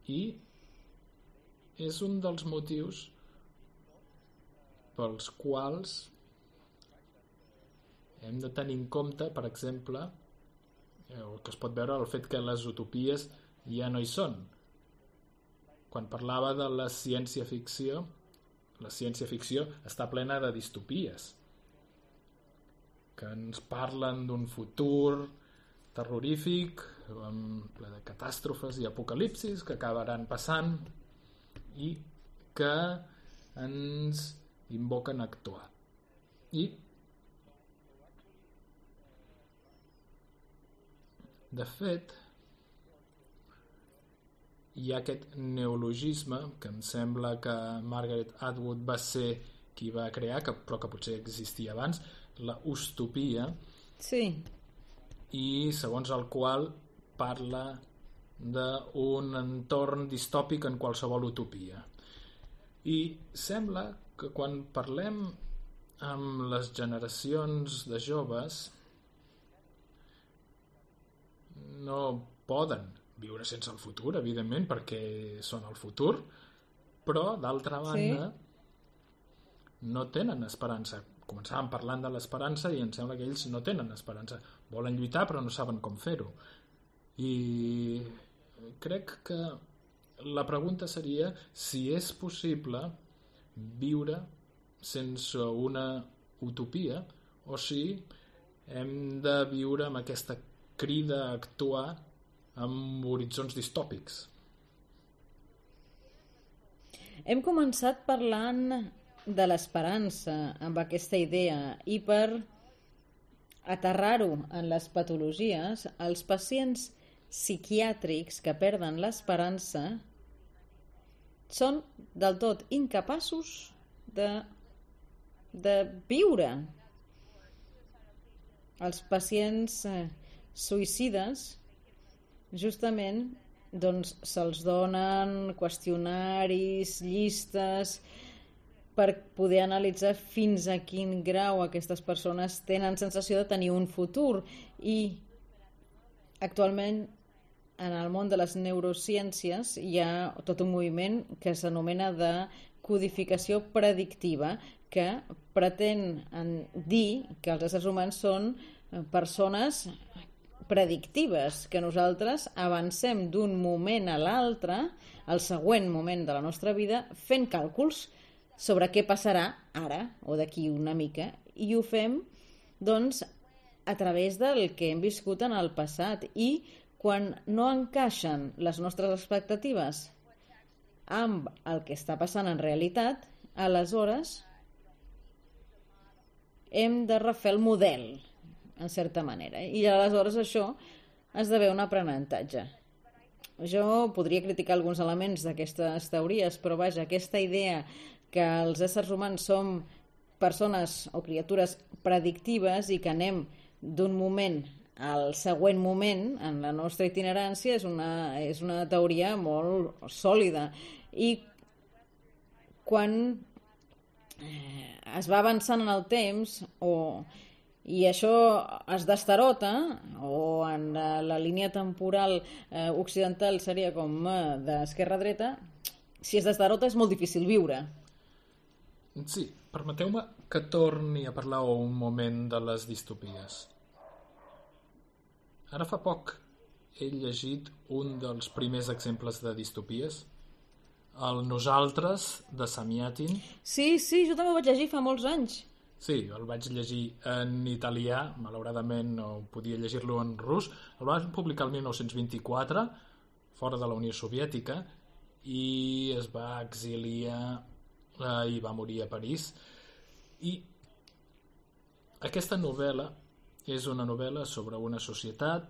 I és un dels motius pels quals hem de tenir en compte, per exemple, el que es pot veure el fet que les utopies ja no hi són. Quan parlava de la ciència-ficció està plena de distopies que ens parlen d'un futur terrorífic, ple de catàstrofes i apocalipsis que acabaran passant i que ens invoquen a actuar. I de fet hi ha aquest neologisme que em sembla que Margaret Atwood va ser qui va crear, però que potser existia abans, la ustopia. Sí. I segons el qual parla d'un entorn distòpic en qualsevol utopia. I sembla que quan parlem amb les generacions de joves no poden viure sense el futur, evidentment, perquè són el futur, però d'altra banda no tenen esperança. Començàvem parlant de l'esperança i em sembla que ells no tenen esperança. Volen lluitar però no saben com fer-ho. I crec que la pregunta seria si és possible viure sense una utopia o si hem de viure amb aquesta crida a actuar amb horitzons distòpics. Hem començat parlant de l'esperança amb aquesta idea i per aterrar-ho en les patologies, els pacients psiquiàtrics que perden l'esperança són del tot incapaços de viure. Els pacients suïcides justament doncs se'ls donen qüestionaris, llistes per poder analitzar fins a quin grau aquestes persones tenen sensació de tenir un futur. I actualment en el món de les neurociències hi ha tot un moviment que s'anomena de codificació predictiva, que pretén dir que els éssers humans són persones predictives, que nosaltres avancem d'un moment a l'altre, al següent moment de la nostra vida, fent càlculs sobre què passarà ara o d'aquí una mica, i ho fem doncs a través del que hem viscut en el passat, i quan no encaixen les nostres expectatives amb el que està passant en realitat, aleshores hem de refer el model, en certa manera, i aleshores això esdevé un aprenentatge. Jo podria criticar alguns elements d'aquestes teories, però vaja, aquesta idea que els éssers humans som persones o criatures predictives i que anem d'un moment el següent moment en la nostra itinerància és una teoria molt sòlida. I quan es va avançant en el temps i això es destarota, o en la línia temporal occidental seria com d'esquerra a dreta, si es destarota és molt difícil viure. Sí, permeteu-me que torni a parlar un moment de les distopies. Ara fa poc he llegit un dels primers exemples de distopies, el Nosaltres, de Samiatin. Sí, jo també ho vaig llegir fa molts anys. Sí, el vaig llegir en italià, malauradament no podia llegir-lo en rus. El van publicar el 1924, fora de la Unió Soviètica, i es va exiliar i va morir a París. I aquesta novel·la és una novel·la sobre una societat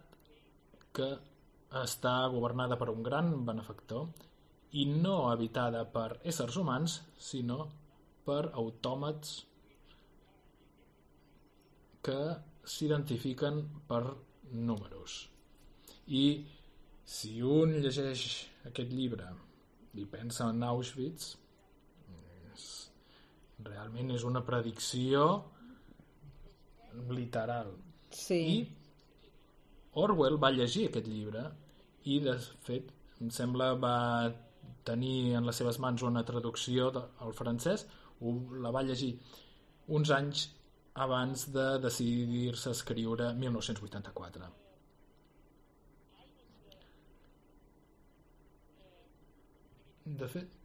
que està governada per un gran benefactor i no habitada per éssers humans, sinó per autòmats que s'identifiquen per números. I si un llegeix aquest llibre i pensa en Auschwitz, realment és una predicció literal. Sí. I Orwell va llegir aquest llibre i, de fet, em sembla va tenir en les seves mans una traducció al francès, la va llegir uns anys abans de decidir-se a escriure 1984. De fet,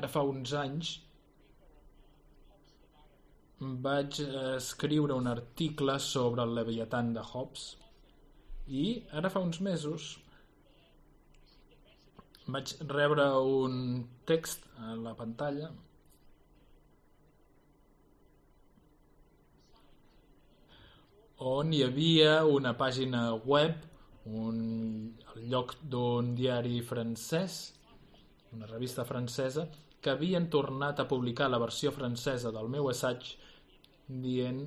ara fa uns anys vaig escriure un article sobre el Leviatán de Hobbes i ara fa uns mesos vaig rebre un text a la pantalla on hi havia una pàgina web, el lloc d'un diari francès, una revista francesa, que havien tornat a publicar la versió francesa del meu assaig dient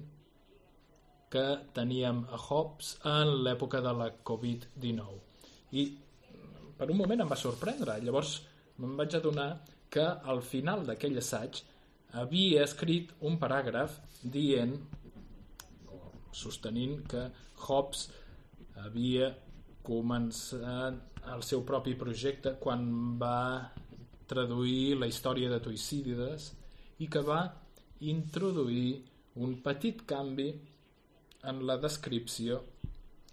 que teníem a Hobbes en l'època de la Covid-19. I per un moment em va sorprendre. Llavors me'n vaig adonar que al final d'aquell assaig havia escrit un paràgraf dient, sostenint que Hobbes havia començat el seu propi projecte quan va traduir la història de Tucídides i que va introduir un petit canvi en la descripció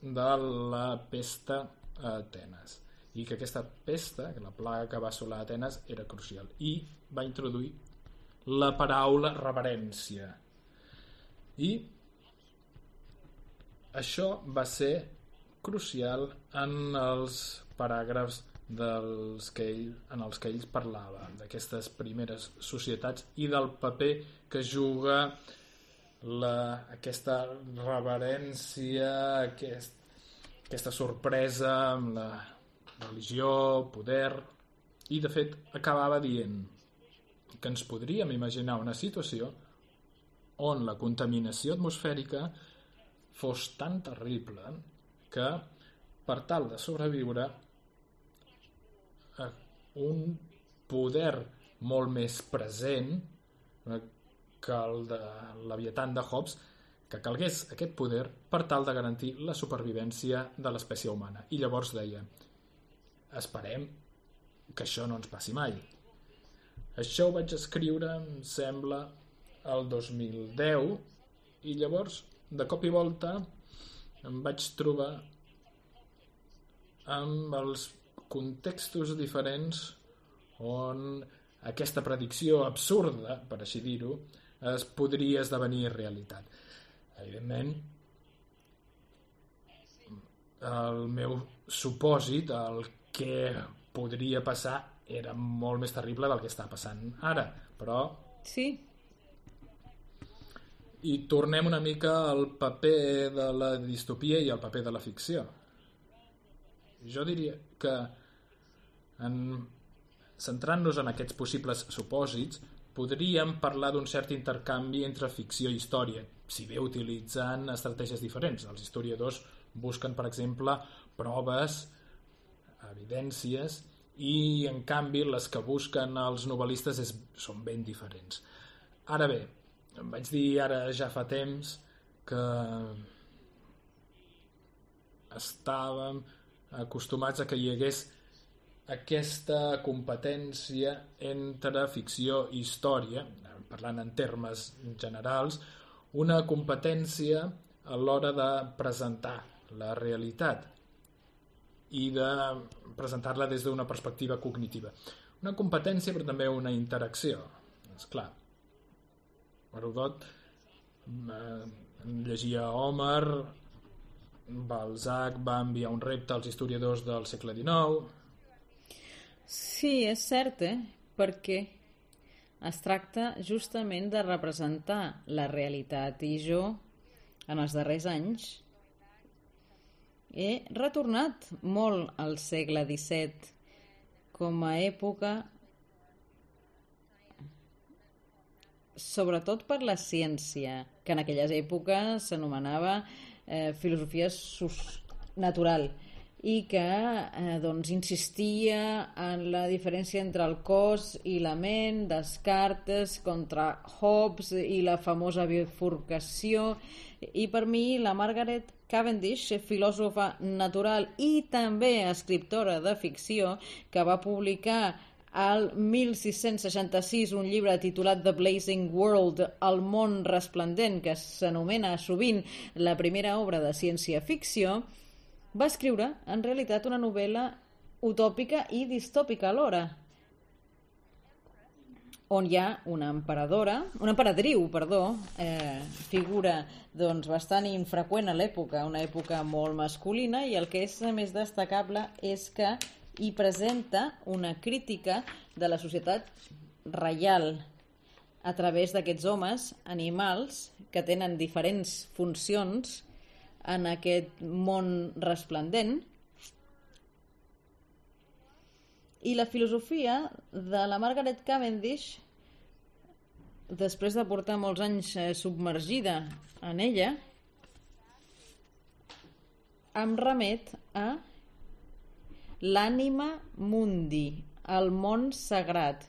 de la pesta a Atenes i que aquesta pesta, la plaga que va assolar Atenes, era crucial i va introduir la paraula reverència i això va ser crucial en els paràgrafs en els que ell parlava d'aquestes primeres societats i del paper que juga aquesta reverència, aquesta sorpresa amb la religió, poder, i de fet acabava dient que ens podríem imaginar una situació on la contaminació atmosfèrica fos tan terrible que per tal de sobreviure un poder molt més present que el de Leviatán de Hobbes, que calgués aquest poder per tal de garantir la supervivència de l'espècie humana. I llavors deia, esperem que això no ens passi mai. Això ho vaig escriure, em sembla, el 2010, i llavors, de cop i volta, em vaig trobar amb els contextos diferents on aquesta predicció absurda, per així dir-ho, es podria esdevenir realitat. Evidentment, el meu supòsit, el que podria passar, era molt més terrible del que està passant ara, però... Sí. I tornem una mica al paper de la distopia i al paper de la ficció. Jo diria que centrant-nos en aquests possibles supòsits, podríem parlar d'un cert intercanvi entre ficció i història, si bé utilitzant estratègies diferents. Els historiadors busquen, per exemple, proves, evidències, i en canvi les que busquen els novel·listes són ben diferents. Ara bé, em vaig dir ara ja fa temps que estàvem acostumats a que hi hagués aquesta competència entre ficció i història, parlant en termes generals, una competència a l'hora de presentar la realitat i de presentar-la des d'una perspectiva cognitiva. Una competència, però també una interacció. Esclar, Herodot llegia Homer, Balzac va enviar un repte als historiadors del segle XIX. Sí, és cert, perquè es tracta justament de representar la realitat, i jo, en els darrers anys, he retornat molt al segle XVII com a època, sobretot per la ciència, que en aquelles èpoques s'anomenava filosofia natural, i que doncs, insistia en la diferència entre el cos i la ment, Descartes contra Hobbes i la famosa bifurcació. I per mi la Margaret Cavendish, filòsofa natural i també escriptora de ficció, que va publicar al 1666 un llibre titulat The Blazing World, El món resplendent, que s'anomena sovint la primera obra de ciència-ficció, va escriure en realitat una novel·la utòpica i distòpica alhora, on hi ha una emperadriu, figura doncs, bastant infreqüent a l'època, una època molt masculina, i el que és més destacable és que hi presenta una crítica de la societat reial a través d'aquests homes animals que tenen diferents funcions en aquest món resplendent. I la filosofia de la Margaret Cavendish, després de portar molts anys submergida en ella, em remet a l'ànima mundi, el món sagrat,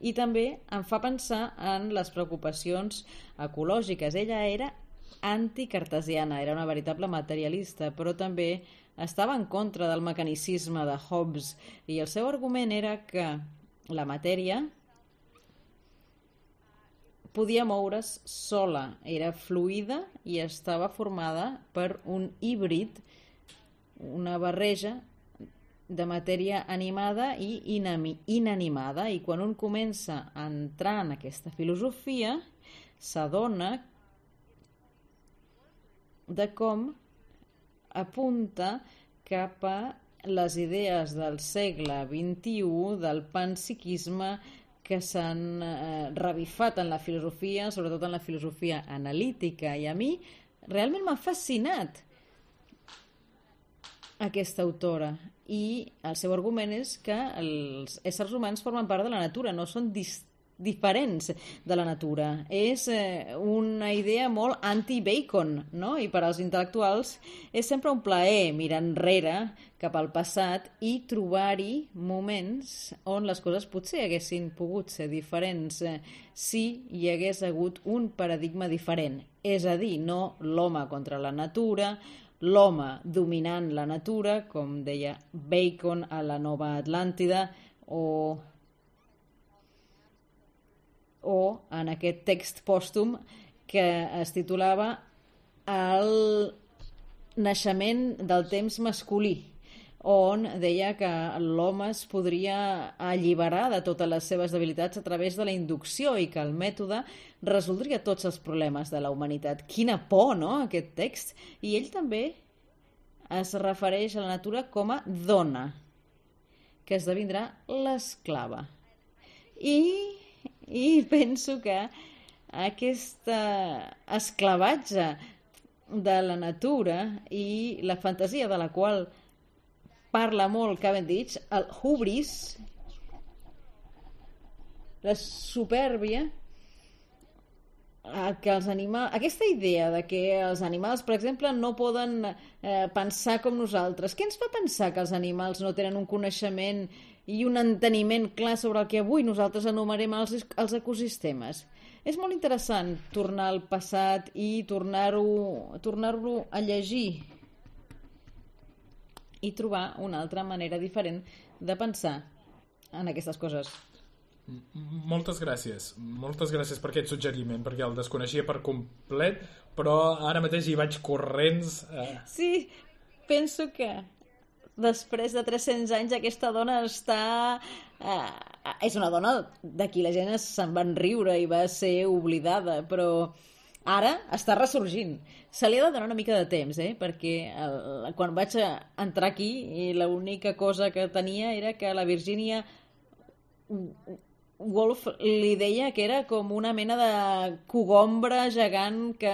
i també em fa pensar en les preocupacions ecològiques. Ella era anticartesiana, era una veritable materialista, però també estava en contra del mecanicisme de Hobbes, i el seu argument era que la matèria podia moure's sola, era fluida i estava formada per un híbrid, una barreja de matèria animada i inanimada, i quan un comença a entrar en aquesta filosofia s'adona de com apunta cap a les idees del segle XXI, del panpsiquisme, que s'han revifat en la filosofia, sobretot en la filosofia analítica, i a mi realment m'ha fascinat aquesta autora, i el seu argument és que els éssers humans formen part de la natura, no són diferents de la natura. És una idea molt anti-Bacon, no? I per als intel·lectuals és sempre un plaer mirar enrere cap al passat i trobar-hi moments on les coses potser haguessin pogut ser diferents si hi hagués hagut un paradigma diferent. És a dir, no l'home contra la natura, l'home dominant la natura, com deia Bacon a la Nova Atlàntida, o en aquest text pòstum que es titulava El naixement del temps masculí, on deia que l'home es podria alliberar de totes les seves debilitats a través de la inducció i que el mètode resoldria tots els problemes de la humanitat. Quina por, no?, aquest text. I ell també es refereix a la natura com a dona, que esdevindrà l'esclava. I penso que aquest esclavatge de la natura i la fantasia de la qual parla molt Cavendish, el hubris, la supèrbia, que els animals, aquesta idea de que els animals, per exemple, no poden pensar com nosaltres, què ens fa pensar que els animals no tenen un coneixement i un enteniment clar sobre el que avui nosaltres anomenem els ecosistemes? És molt interessant tornar al passat i tornar-lo a llegir i trobar una altra manera diferent de pensar en aquestes coses. Moltes gràcies per aquest suggeriment, perquè el desconeixia per complet, però ara mateix hi vaig corrents. Sí, penso que després de 300 anys aquesta dona està... és una dona de qui la gent se'n van riure i va ser oblidada, però ara està ressorgint. Se li ha de donar una mica de temps, perquè quan vaig entrar aquí l'única cosa que tenia era que la Virginia Woolf li deia que era com una mena de cogombra gegant que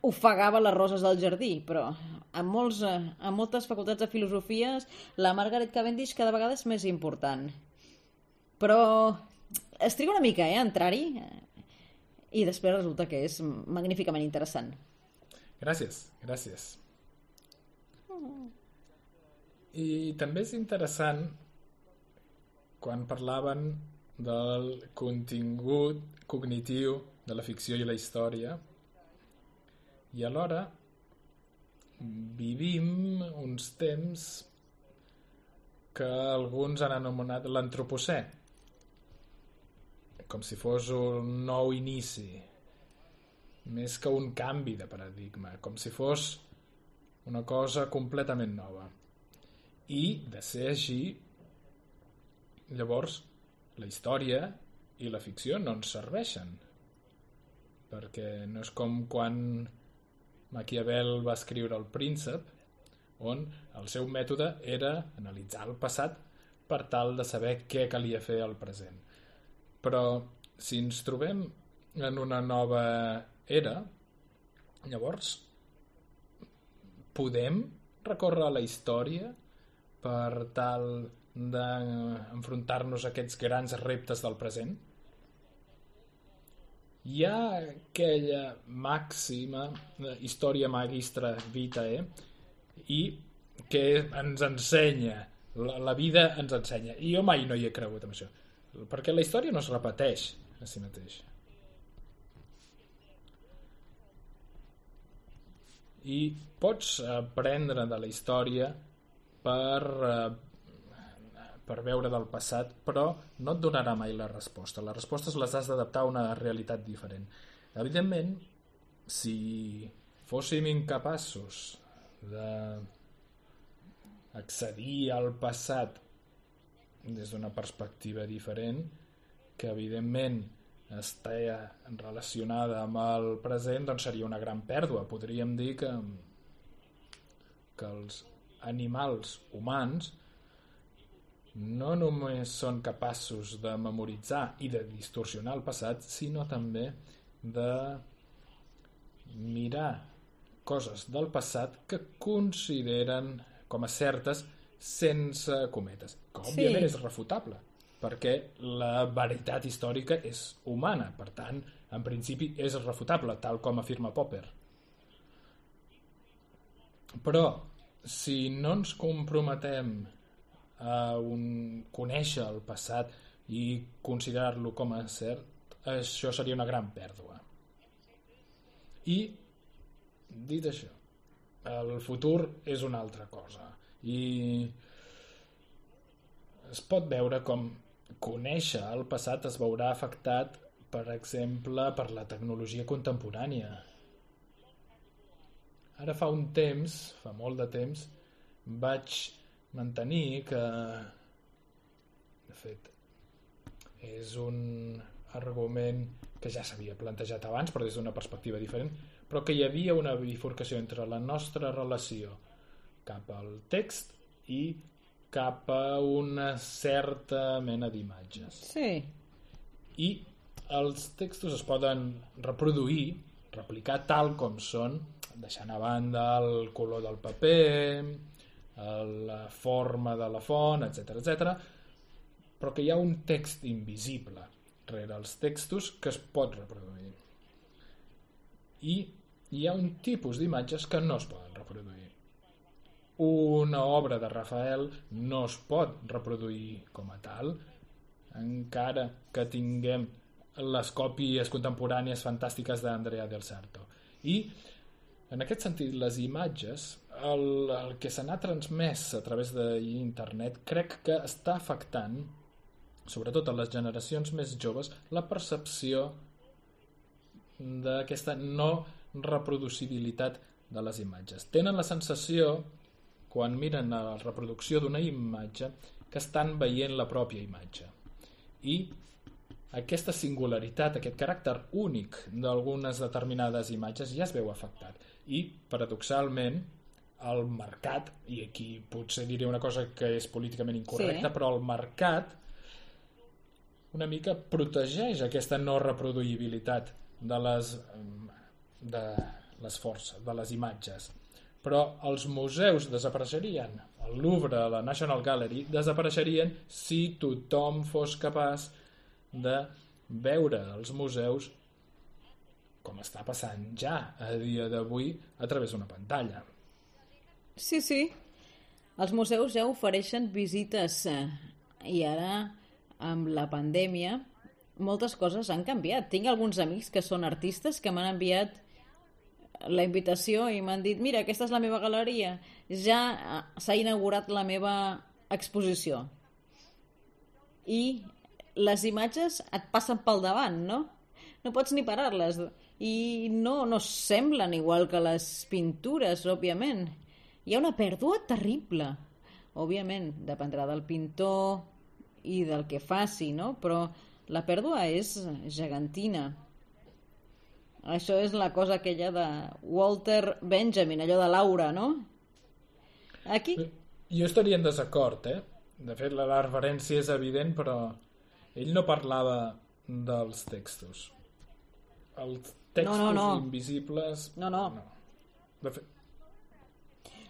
ofegava les roses del jardí, però amb moltes facultats de filosofies la Margaret Cavendish cada vegada és més important. Però es triga una mica a entrar-hi i després resulta que és magníficament interessant. Gràcies. I també és interessant quan parlaven del contingut cognitiu de la ficció i la història, i alhora vivim uns temps que alguns han anomenat l'antropocè, com si fos un nou inici, més que un canvi de paradigma, com si fos una cosa completament nova. I, de ser així, llavors la història i la ficció no ens serveixen, perquè no és com quan Maquiavel va escriure El príncep, on el seu mètode era analitzar el passat per tal de saber què calia fer al present. Però si ens trobem en una nova era, llavors podem recórrer a la història per tal d'enfrontar-nos a aquests grans reptes del present? Hi ha aquella màxima història magistra vitae i que ens ensenya, la vida ens ensenya, i jo mai no hi he cregut en això, perquè la història no es repeteix a si mateixa. I pots aprendre de la història per veure del passat, però no et donarà mai la resposta. Les respostes les has d'adaptar a una realitat diferent. Evidentment, si fóssim incapaços d'accedir al passat des d'una perspectiva diferent, que evidentment està relacionada amb el present, doncs seria una gran pèrdua. Podríem dir que els animals humans no només són capaços de memoritzar i de distorsionar el passat, sinó també de mirar coses del passat que consideren com a certes sense cometes, que òbviament és refutable, perquè la veritat històrica és humana, per tant, en principi és refutable, tal com afirma Popper. Però si no ens comprometem a conèixer el passat i considerar-lo com a cert, això seria una gran pèrdua. I, dit això, el futur és una altra cosa. I es pot veure com conèixer el passat es veurà afectat, per exemple, per la tecnologia contemporània. Ara fa molt de temps, vaig mantenir que, de fet, és un argument que ja s'havia plantejat abans, però des d'una perspectiva diferent, però que hi havia una bifurcació entre la nostra relació cap al text i cap a una certa mena d'imatges. Sí. I els textos es poden replicar tal com són, deixant a banda el color del paper, la forma de la font, etc., però que hi ha un text invisible rere els textos que es pot reproduir. I hi ha un tipus d'imatges que no es poden reproduir. Una obra de Rafael no es pot reproduir com a tal, encara que tinguem les còpies contemporànies fantàstiques d'Andrea del Sarto. I, en aquest sentit, les imatges, el que se n'ha transmès a través d'internet, crec que està afectant, sobretot a les generacions més joves, la percepció d'aquesta no reproducibilitat de les imatges. Tenen la sensació, quan miren la reproducció d'una imatge, que estan veient la pròpia imatge. I aquesta singularitat, aquest caràcter únic d'algunes determinades imatges ja es veu afectat. I, paradoxalment, el mercat, i aquí potser diré una cosa que és políticament incorrecta, sí, però el mercat una mica protegeix aquesta no reproduïbilitat de les forces, de les imatges. Però els museus desapareixerien. El Louvre, la National Gallery, desapareixerien si tothom fos capaç de veure els museus com està passant ja a dia d'avui a través d'una pantalla. Sí, sí. Els museus ja ofereixen visites i ara, amb la pandèmia, moltes coses han canviat. Tinc alguns amics que són artistes que m'han enviat la invitació i m'han dit: mira, aquesta és la meva galeria, ja s'ha inaugurat la meva exposició. I les imatges et passen pel davant, no? No pots ni parar-les. I no semblen igual que les pintures, òbviament. Hi ha una pèrdua terrible. Òbviament, dependrà del pintor i del que faci, no? Però la pèrdua és gegantina. Això és la cosa aquella de Walter Benjamin, allò de Laura, no? Aquí... Jo estaria en desacord, eh? De fet, la referència és evident, però ell no parlava dels textos. Els textos invisibles... No. De fet...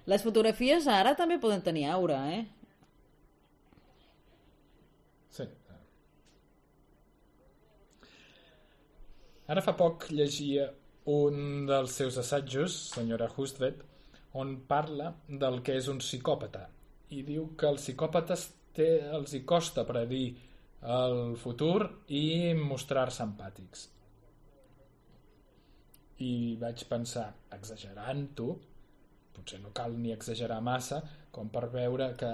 Les fotografies ara també poden tenir aura, eh? Sí. Ara fa poc llegia un dels seus assajos, senyora Hustvedt, on parla del que és un psicòpata i diu que els psicòpates els hi costa predir el futur i mostrar-se empàtics. I vaig pensar, exagerant-ho, potser no cal ni exagerar massa com per veure que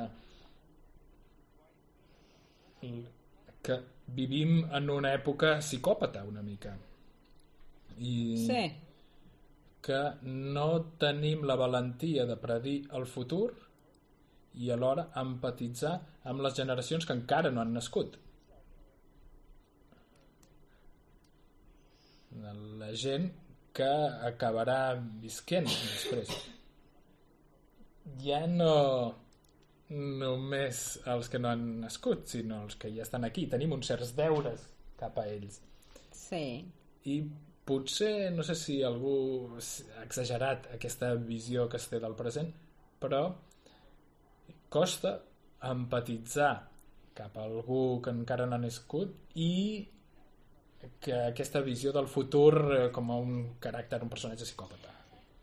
vivim en una època psicòpata una mica i sí, que no tenim la valentia de predir el futur i alhora empatitzar amb les generacions que encara no han nascut. La gent que acabarà visquent després. Ja no només els que no han nascut, sinó els que ja estan aquí. Tenim uns certs deures cap a ells. Sí. I potser, no sé si algú ha exagerat aquesta visió que es té del present, però costa empatitzar cap a algú que encara no ha nascut i que aquesta visió del futur com a un caràcter, un personatge psicòpata.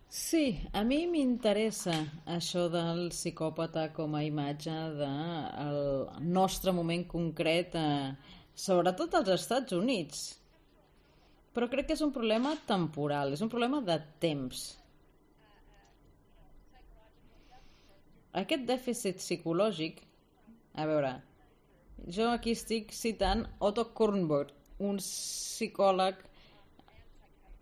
Sí, a mi m'interessa això del psicòpata com a imatge del nostre moment concret, sobretot als Estats Units. Però crec que és un problema temporal, és un problema de temps. Aquest dèficit psicològic, a veure, jo aquí estic citant Otto Kornberg, un psicòleg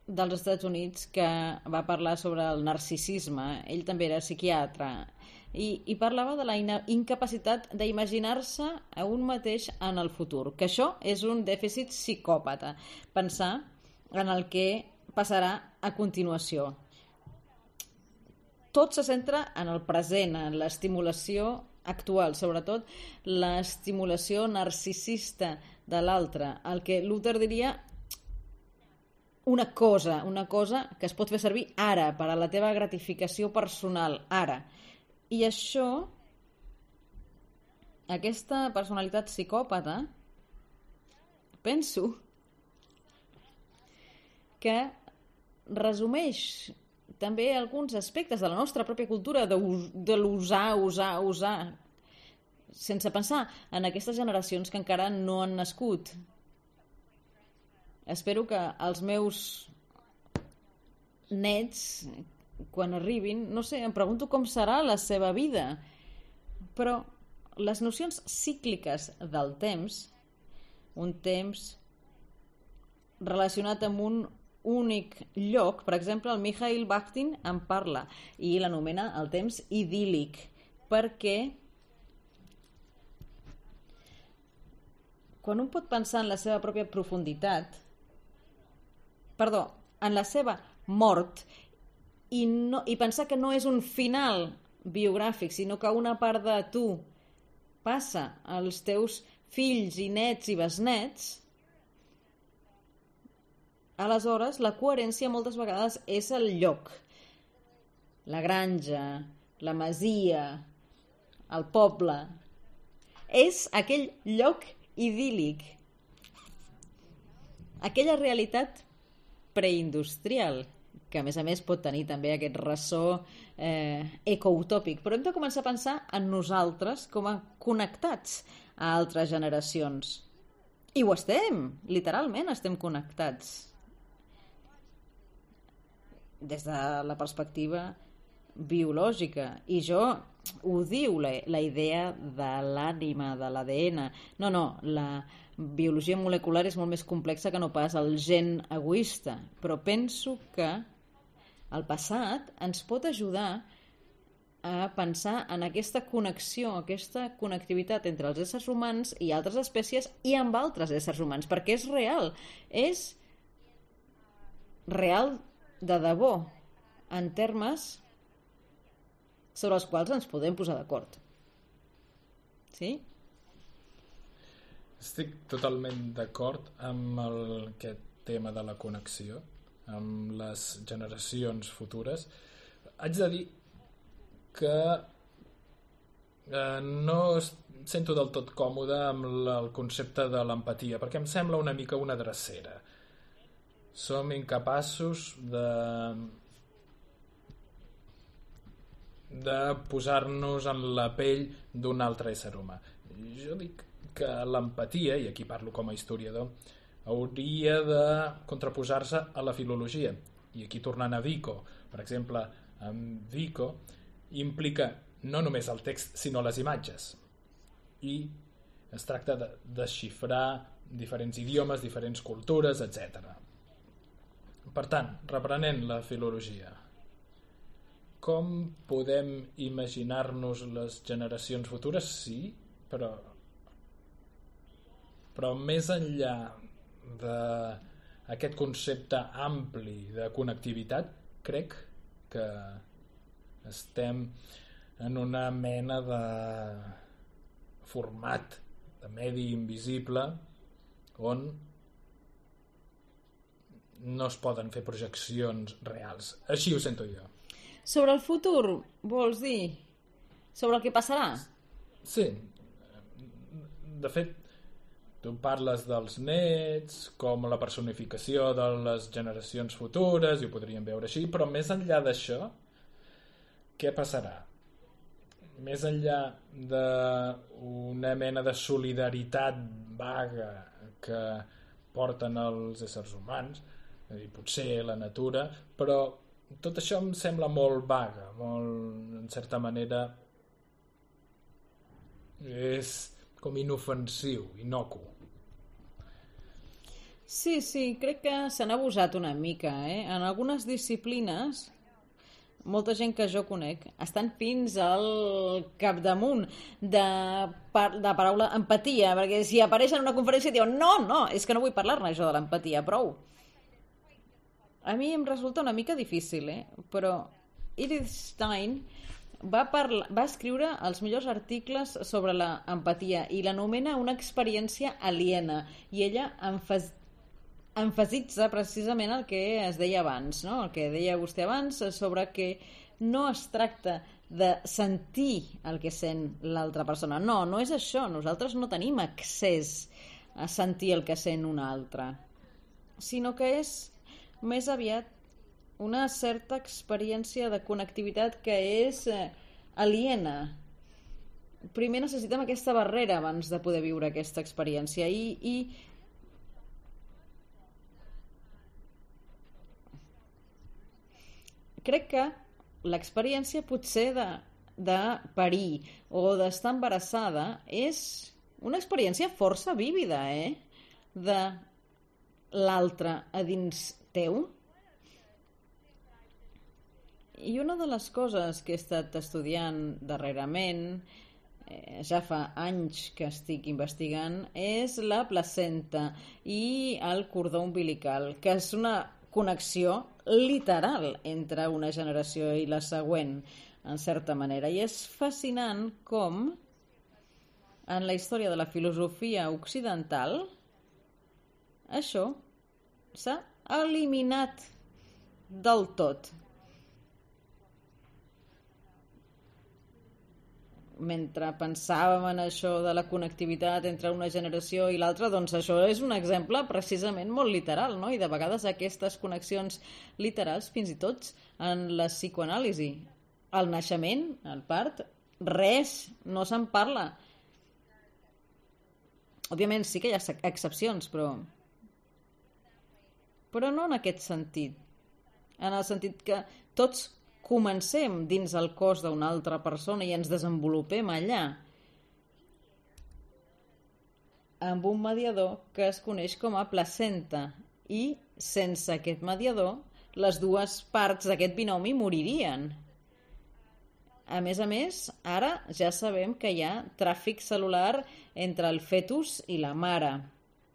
dels Estats Units que va parlar sobre el narcisisme. Ell també era psiquiatre i parlava de la incapacitat d'imaginar-se a un mateix en el futur, que això és un dèficit psicòpata, pensar en el que passarà a continuació. Tot se centra en el present, en l'estimulació actual, sobretot l'estimulació narcisista de l'altre, el que Luther diria una cosa que es pot fer servir ara, per a la teva gratificació personal, ara. I això, aquesta personalitat psicòpata, penso que resumeix també alguns aspectes de la nostra pròpia cultura de l'usar, sense pensar en aquestes generacions que encara no han nascut. Espero que els meus nets, quan arribin, no sé, em pregunto com serà la seva vida, però les nocions cícliques del temps, un temps relacionat amb un únic lloc, per exemple, el Mikhail Bakhtin en parla i l'anomena el temps idíl·lic, perquè quan un pot pensar en la seva pròpia profunditat, en la seva mort i pensar que no és un final biogràfic, sinó que una part de tu passa als teus fills i nets i besnets, aleshores la coherència moltes vegades és el lloc, la granja, la masia, el poble. És aquell lloc idíl·lic, aquella realitat preindustrial, que a més pot tenir també aquest ressò ecoutòpic, però hem de començar a pensar en nosaltres com a connectats a altres generacions. I ho estem, literalment estem connectats. Des de la perspectiva biològica. I jo ho diu la idea de l'ànima, de l'ADN. No, la biologia molecular és molt més complexa que no pas el gen egoista, però penso que el passat ens pot ajudar a pensar en aquesta connexió, aquesta connectivitat entre els éssers humans i altres espècies i amb altres éssers humans, perquè és real de debò, en termes sobre els quals ens podem posar d'acord. Sí? Estic totalment d'acord amb aquest tema de la connexió amb les generacions futures. Haig de dir que no sento del tot còmode amb el concepte de l'empatia, perquè em sembla una mica una drecera. Som incapaços de posar-nos en la pell d'un altre ésser humà. Jo dic que l'empatia, i aquí parlo com a historiador, hauria de contraposar-se a la filologia. I aquí tornant a Vico, per exemple, en Vico implica no només el text, sinó les imatges. I es tracta de desxifrar diferents idiomes, diferents cultures, etc. Per tant, reprenent la filologia, com podem imaginar-nos les generacions futures? Sí, però més enllà d'aquest concepte ampli de connectivitat, crec que estem en una mena de format de medi invisible on no es poden fer projeccions reals. Així ho sento jo. Sobre el futur, vols dir? Sobre el que passarà? Sí. De fet, tu parles dels nets com la personificació de les generacions futures, i ho podríem veure així, però més enllà d'això, què passarà? Més enllà d'una mena de solidaritat vaga que porten els éssers humans, i potser la natura, però tot això em sembla molt vaga, molt, en certa manera, és com inofensiu, inocu. Sí, crec que se n'ha abusat una mica, En algunes disciplines, molta gent que jo conec estan fins al capdamunt de paraula empatia, perquè si apareix en una conferència diuen no, és que no vull parlar-ne això de l'empatia, prou. A mi em resulta una mica difícil, però Edith Stein va escriure els millors articles sobre l'empatia i l'anomena una experiència aliena, i ella emfasitza precisament el que es deia abans, no? El que deia vostè abans sobre que no es tracta de sentir el que sent l'altra persona. No és això. Nosaltres no tenim accés a sentir el que sent un altre, sinó que és més aviat una certa experiència de connectivitat que és aliena. Primer necessitem aquesta barrera abans de poder viure aquesta experiència i crec que l'experiència potser de parir o d'estar embarassada és una experiència força vívida, de l'altre a dins teu. I una de les coses que he estat estudiant darrerament, ja fa anys que estic investigant, és la placenta i el cordó umbilical, que és una connexió literal entre una generació i la següent, en certa manera. I és fascinant com en la història de la filosofia occidental això s'ha eliminat del tot. Mentre pensàvem en això de la connectivitat entre una generació i l'altra, doncs això és un exemple precisament molt literal, no? I de vegades aquestes connexions literals, fins i tot en la psicoanàlisi, el naixement, el part, res, no se'n parla. Òbviament sí que hi ha excepcions, però no en aquest sentit. En el sentit que tots comencem dins el cos d'una altra persona i ens desenvolupem allà amb un mediador que es coneix com a placenta, i sense aquest mediador les dues parts d'aquest binomi moririen. A més, ara ja sabem que hi ha tràfic cel·lular entre el fetus i la mare,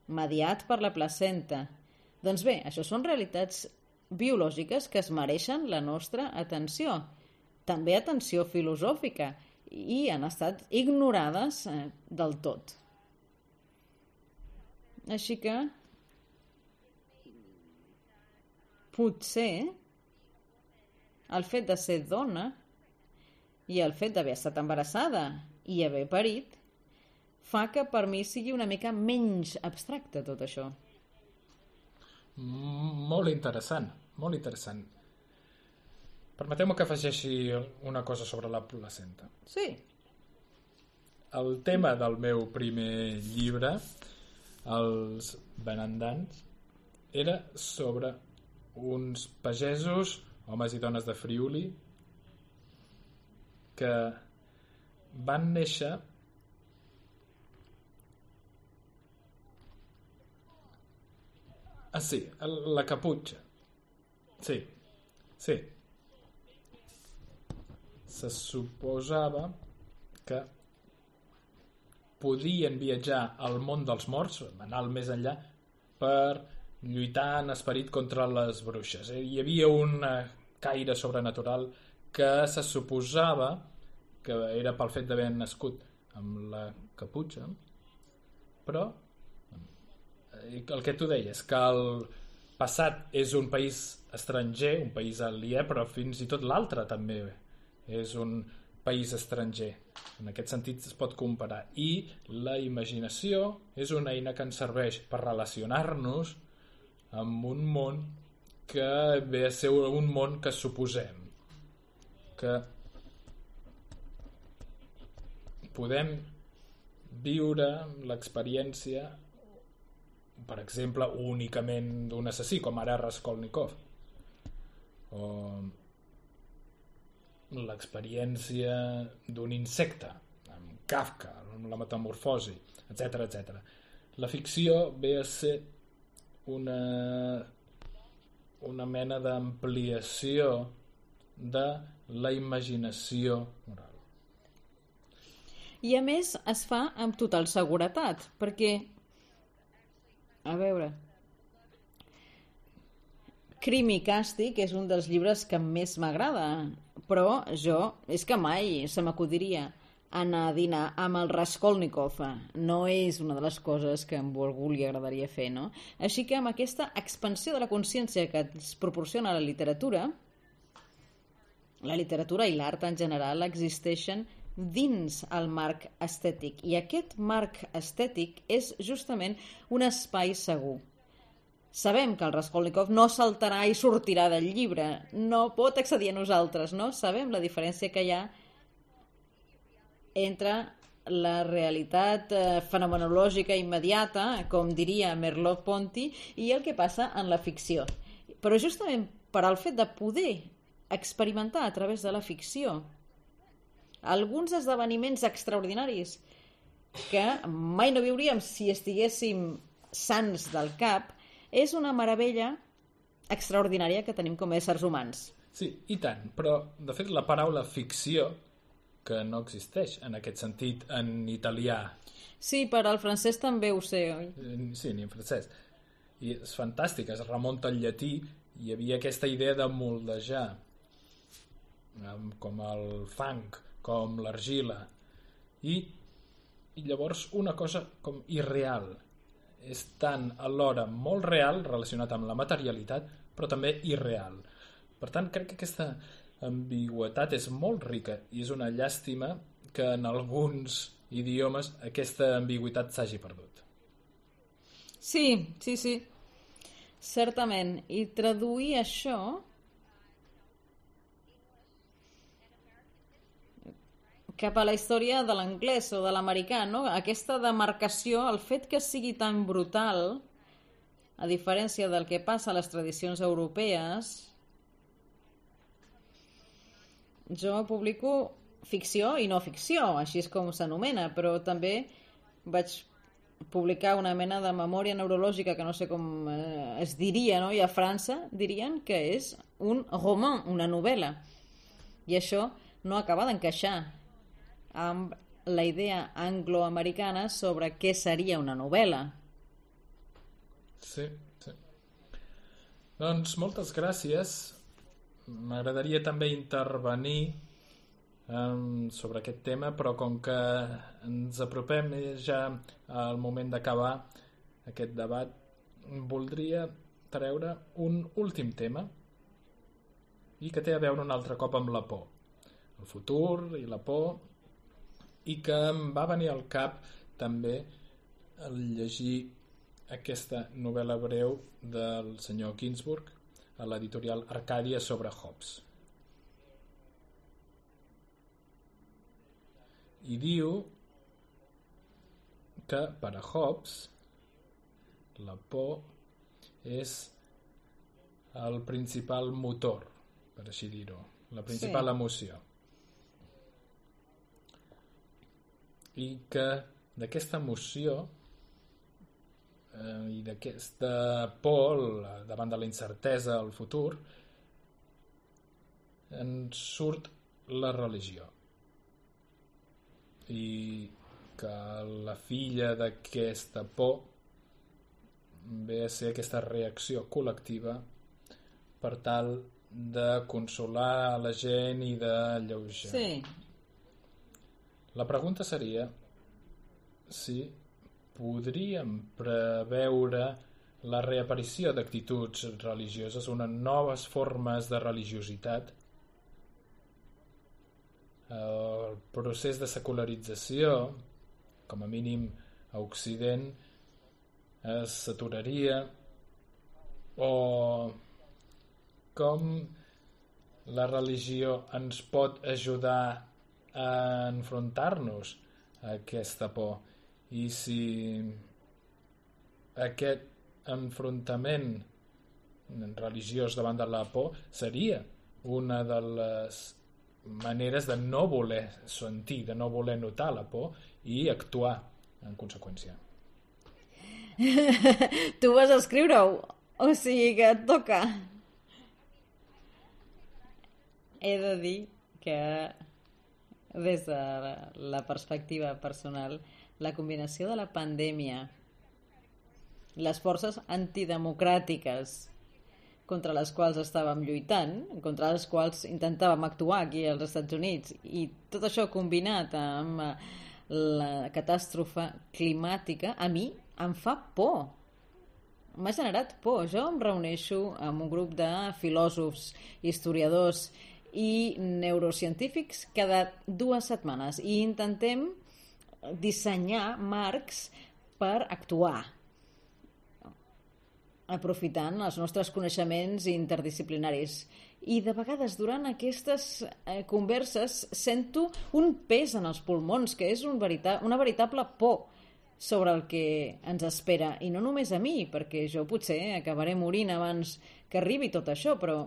mediat per la placenta. Doncs bé, això són realitats biològiques que es mereixen la nostra atenció, també atenció filosòfica, i han estat ignorades del tot. Així que potser el fet de ser dona i el fet d'haver estat embarassada i haver parit fa que per mi sigui una mica menys abstracte tot això. Molt interessant, molt interessant. Permeteu-me que afegeixi una cosa sobre la placenta. Sí. El tema del meu primer llibre, Els benandants, era sobre uns pagesos, homes i dones de Friuli, que van néixer sí, la caputxa. Sí. Se suposava que podien viatjar al món dels morts, anar al més enllà, per lluitar en esperit contra les bruixes. Hi havia un caire sobrenatural que se suposava que era pel fet d'haver nascut amb la caputxa, però el que tu deies, que el passat és un país estranger, un país aliè, però fins i tot l'altre també és un país estranger. En aquest sentit es pot comparar. I la imaginació és una eina que ens serveix per relacionar-nos amb un món que ve a ser un món que suposem. Que podem viure l'experiència, per exemple, únicament d'un assassí, com ara Raskolnikov, o l'experiència d'un insecte, amb Kafka, amb la metamorfosi, etc. La ficció ve a ser una mena d'ampliació de la imaginació moral. I a més es fa amb total seguretat, perquè a veure, Crim i càstig és un dels llibres que més m'agrada, però és que mai se m'acudiria anar a dinar amb el Raskolnikov. No és una de les coses que a algú li agradaria fer, no? Així que amb aquesta expansió de la consciència que ens proporciona la literatura i l'art en general existeixen dins el marc estètic. I aquest marc estètic és justament un espai segur. Sabem que el Raskolnikov no saltarà i sortirà del llibre, no pot accedir a nosaltres, no? Sabem la diferència que hi ha entre la realitat fenomenològica immediata, com diria Merleau-Ponty, i el que passa en la ficció. Però justament per al fet de poder experimentar a través de la ficció alguns esdeveniments extraordinaris que mai no viuríem si estiguéssim sans del cap, és una meravella extraordinària que tenim com a éssers humans. Sí, i tant, però de fet la paraula ficció, que no existeix en aquest sentit en italià. Sí, per al francès també ho sé, oi? Sí, ni en francès. I és fantàstic, es remunta al llatí, hi havia aquesta idea de moldejar, com el fang, com l'argila, i llavors una cosa com irreal. És tant alhora molt real, relacionat amb la materialitat, però també irreal. Per tant, crec que aquesta ambigüitat és molt rica i és una llàstima que en alguns idiomes aquesta ambigüitat s'hagi perdut. Sí, certament. I traduir això cap a la història de l'anglès o de l'americà, no? Aquesta demarcació, el fet que sigui tan brutal, a diferència del que passa a les tradicions europees. Jo publico ficció i no ficció, així és com s'anomena, però també vaig publicar una mena de memòria neurològica que no sé com es diria, no? I a França dirien que és un roman, una novel·la. I això no acaba d'encaixar amb la idea angloamericana sobre què seria una novel·la. Sí. Doncs moltes gràcies. M'agradaria també intervenir sobre aquest tema, però com que ens apropem ja al moment d'acabar aquest debat, voldria treure un últim tema i que té a veure un altre cop amb la por. El futur i la por, i que em va venir al cap també al llegir aquesta novel·la breu del senyor Ginsburg a l'editorial Arcàdia sobre Hobbes. I diu que per a Hobbes la por és el principal motor, per així dir-ho, la principal emoció. I que d'aquesta emoció i d'aquesta por davant de la incertesa al futur en surt la religió, i que la filla d'aquesta por ve a ser aquesta reacció col·lectiva per tal de consolar la gent i d'alleujar. Sí. La pregunta seria si podríem preveure la reaparició d'actituds religioses, unes noves formes de religiositat. El procés de secularització, com a mínim a Occident, s'aturaria, o com la religió ens pot ajudar a enfrontar-nos a aquesta por, i si aquest enfrontament religiós davant de la por seria una de les maneres de no voler sentir, de no voler notar la por i actuar en conseqüència. Tu vas escriure-ho, o sigui que et toca. He de dir que des de la perspectiva personal, la combinació de la pandèmia, les forces antidemocràtiques contra les quals estàvem lluitant, contra les quals intentàvem actuar aquí als Estats Units, i tot això combinat amb la catàstrofe climàtica, a mi em fa por. M'ha generat por. Jo em reuneixo amb un grup de filòsofs, historiadors i neurocientífics cada 2 setmanes i intentem dissenyar marcs per actuar aprofitant els nostres coneixements interdisciplinaris. I de vegades durant aquestes converses sento un pes en els pulmons, que és una veritable por sobre el que ens espera. I no només a mi, perquè jo potser acabaré morint abans que arribi tot això, però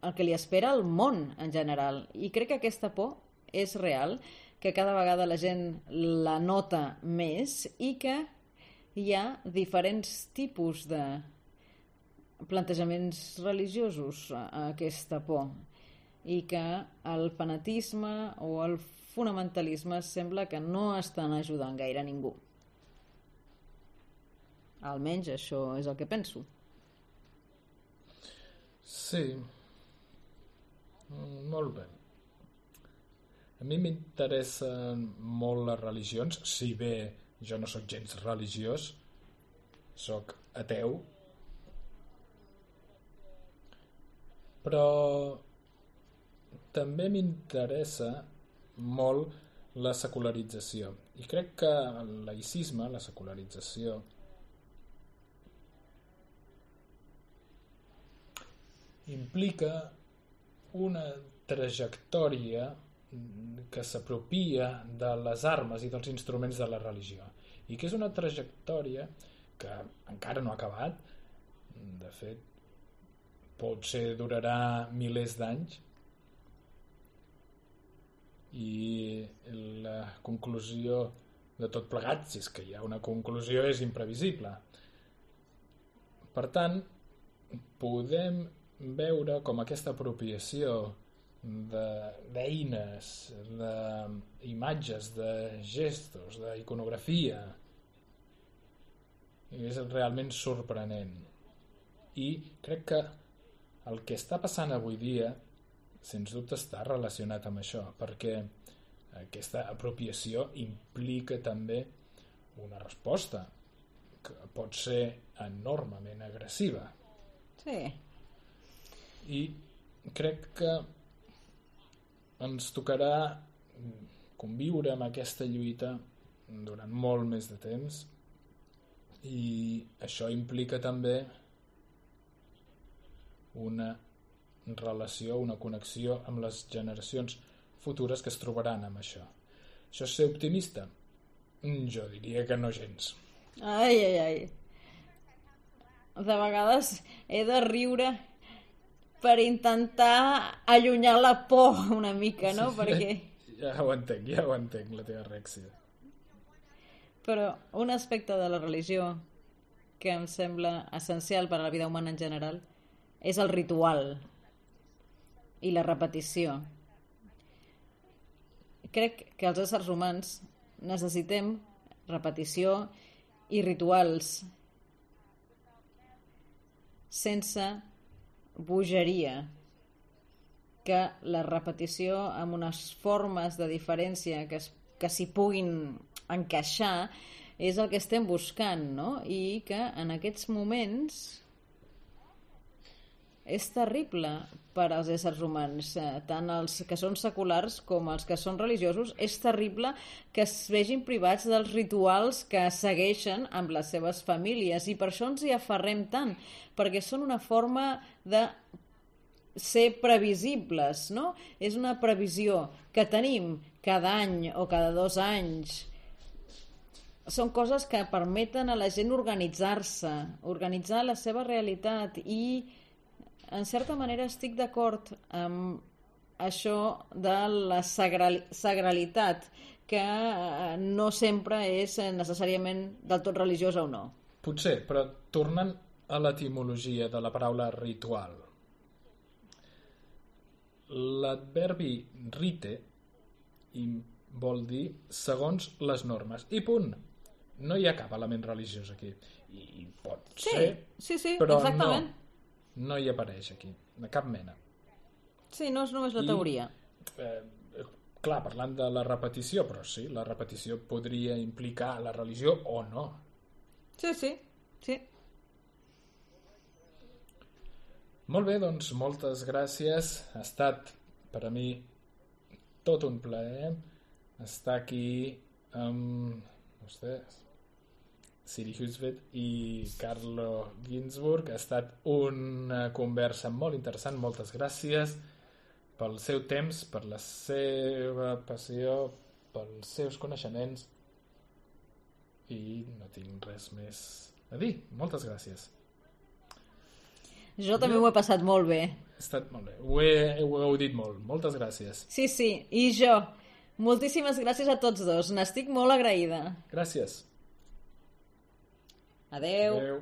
el que li espera al món en general. I crec que aquesta por és real, que cada vegada la gent la nota més i que hi ha diferents tipus de plantejaments religiosos a aquesta por i que el fanatisme o el fonamentalisme sembla que no estan ajudant gaire a ningú. Almenys això és el que penso. Sí. Molt bé. A mi m'interessen molt les religions, si bé jo no sóc gens religiós, sóc ateu, però també m'interessa molt la secularització. I crec que el laïcisme, la secularització, implica una trajectòria que s'apropia de les armes i dels instruments de la religió i que és una trajectòria que encara no ha acabat, de fet potser durarà milers d'anys i la conclusió de tot plegat, si és que hi ha una conclusió, és imprevisible. Per tant, podem veure com aquesta apropiació d'eines, d'imatges, de gestos, d'iconografia és realment sorprenent. I crec que el que està passant avui dia sens dubte està relacionat amb això, perquè aquesta apropiació implica també una resposta que pot ser enormement agressiva. Sí. I crec que ens tocarà conviure amb aquesta lluita durant molt més de temps i això implica també una relació, una connexió amb les generacions futures que es trobaran amb això. Això és ser optimista? Jo diria que no gens. Ai, ai, ai. De vegades he de riure per intentar allunyar la por una mica, no? Sí, perquè... ja ho entenc, la teva reacció. Però un aspecte de la religió que em sembla essencial per a la vida humana en general és el ritual i la repetició. Crec que els éssers humans necessitem repetició i rituals sense bogeria, que la repetició amb unes formes de diferència que s'hi puguin encaixar és el que estem buscant, no? I que en aquests moments és terrible per als éssers humans, tant els que són seculars com els que són religiosos. És terrible que es vegin privats dels rituals que segueixen amb les seves famílies i per això ens hi aferrem tant, perquè són una forma de ser previsibles, no? És una previsió que tenim cada any o cada 2 anys. Són coses que permeten a la gent organitzar-se, organitzar la seva realitat i en certa manera estic d'acord amb això de la sagralitat, que no sempre és necessàriament del tot religiosa o no. Potser, però tornant a l'etimologia de la paraula ritual, l'adverbi rite vol dir segons les normes. I punt. No hi ha cap element religiós aquí. I pot ser, sí, però exactament. No hi apareix aquí, de cap mena. Sí, no és només la teoria. Clar, parlant de la repetició, però sí, la repetició podria implicar la religió o no. Sí. Molt bé, doncs moltes gràcies. Ha estat per a mi tot un plaer estar aquí amb vostès, Siri Husvet i Carlo Ginzburg. Ha estat una conversa molt interessant. Moltes gràcies pel seu temps, per la seva passió, pels seus coneixements, i no tinc res més a dir. Moltes gràcies. Jo també m'ho he passat molt bé. Ha estat molt bé. Ho heu dit molt. Moltes gràcies. Sí, i jo. Moltíssimes gràcies a tots dos. N'estic molt agraïda. Gràcies. Adeu. Adeu.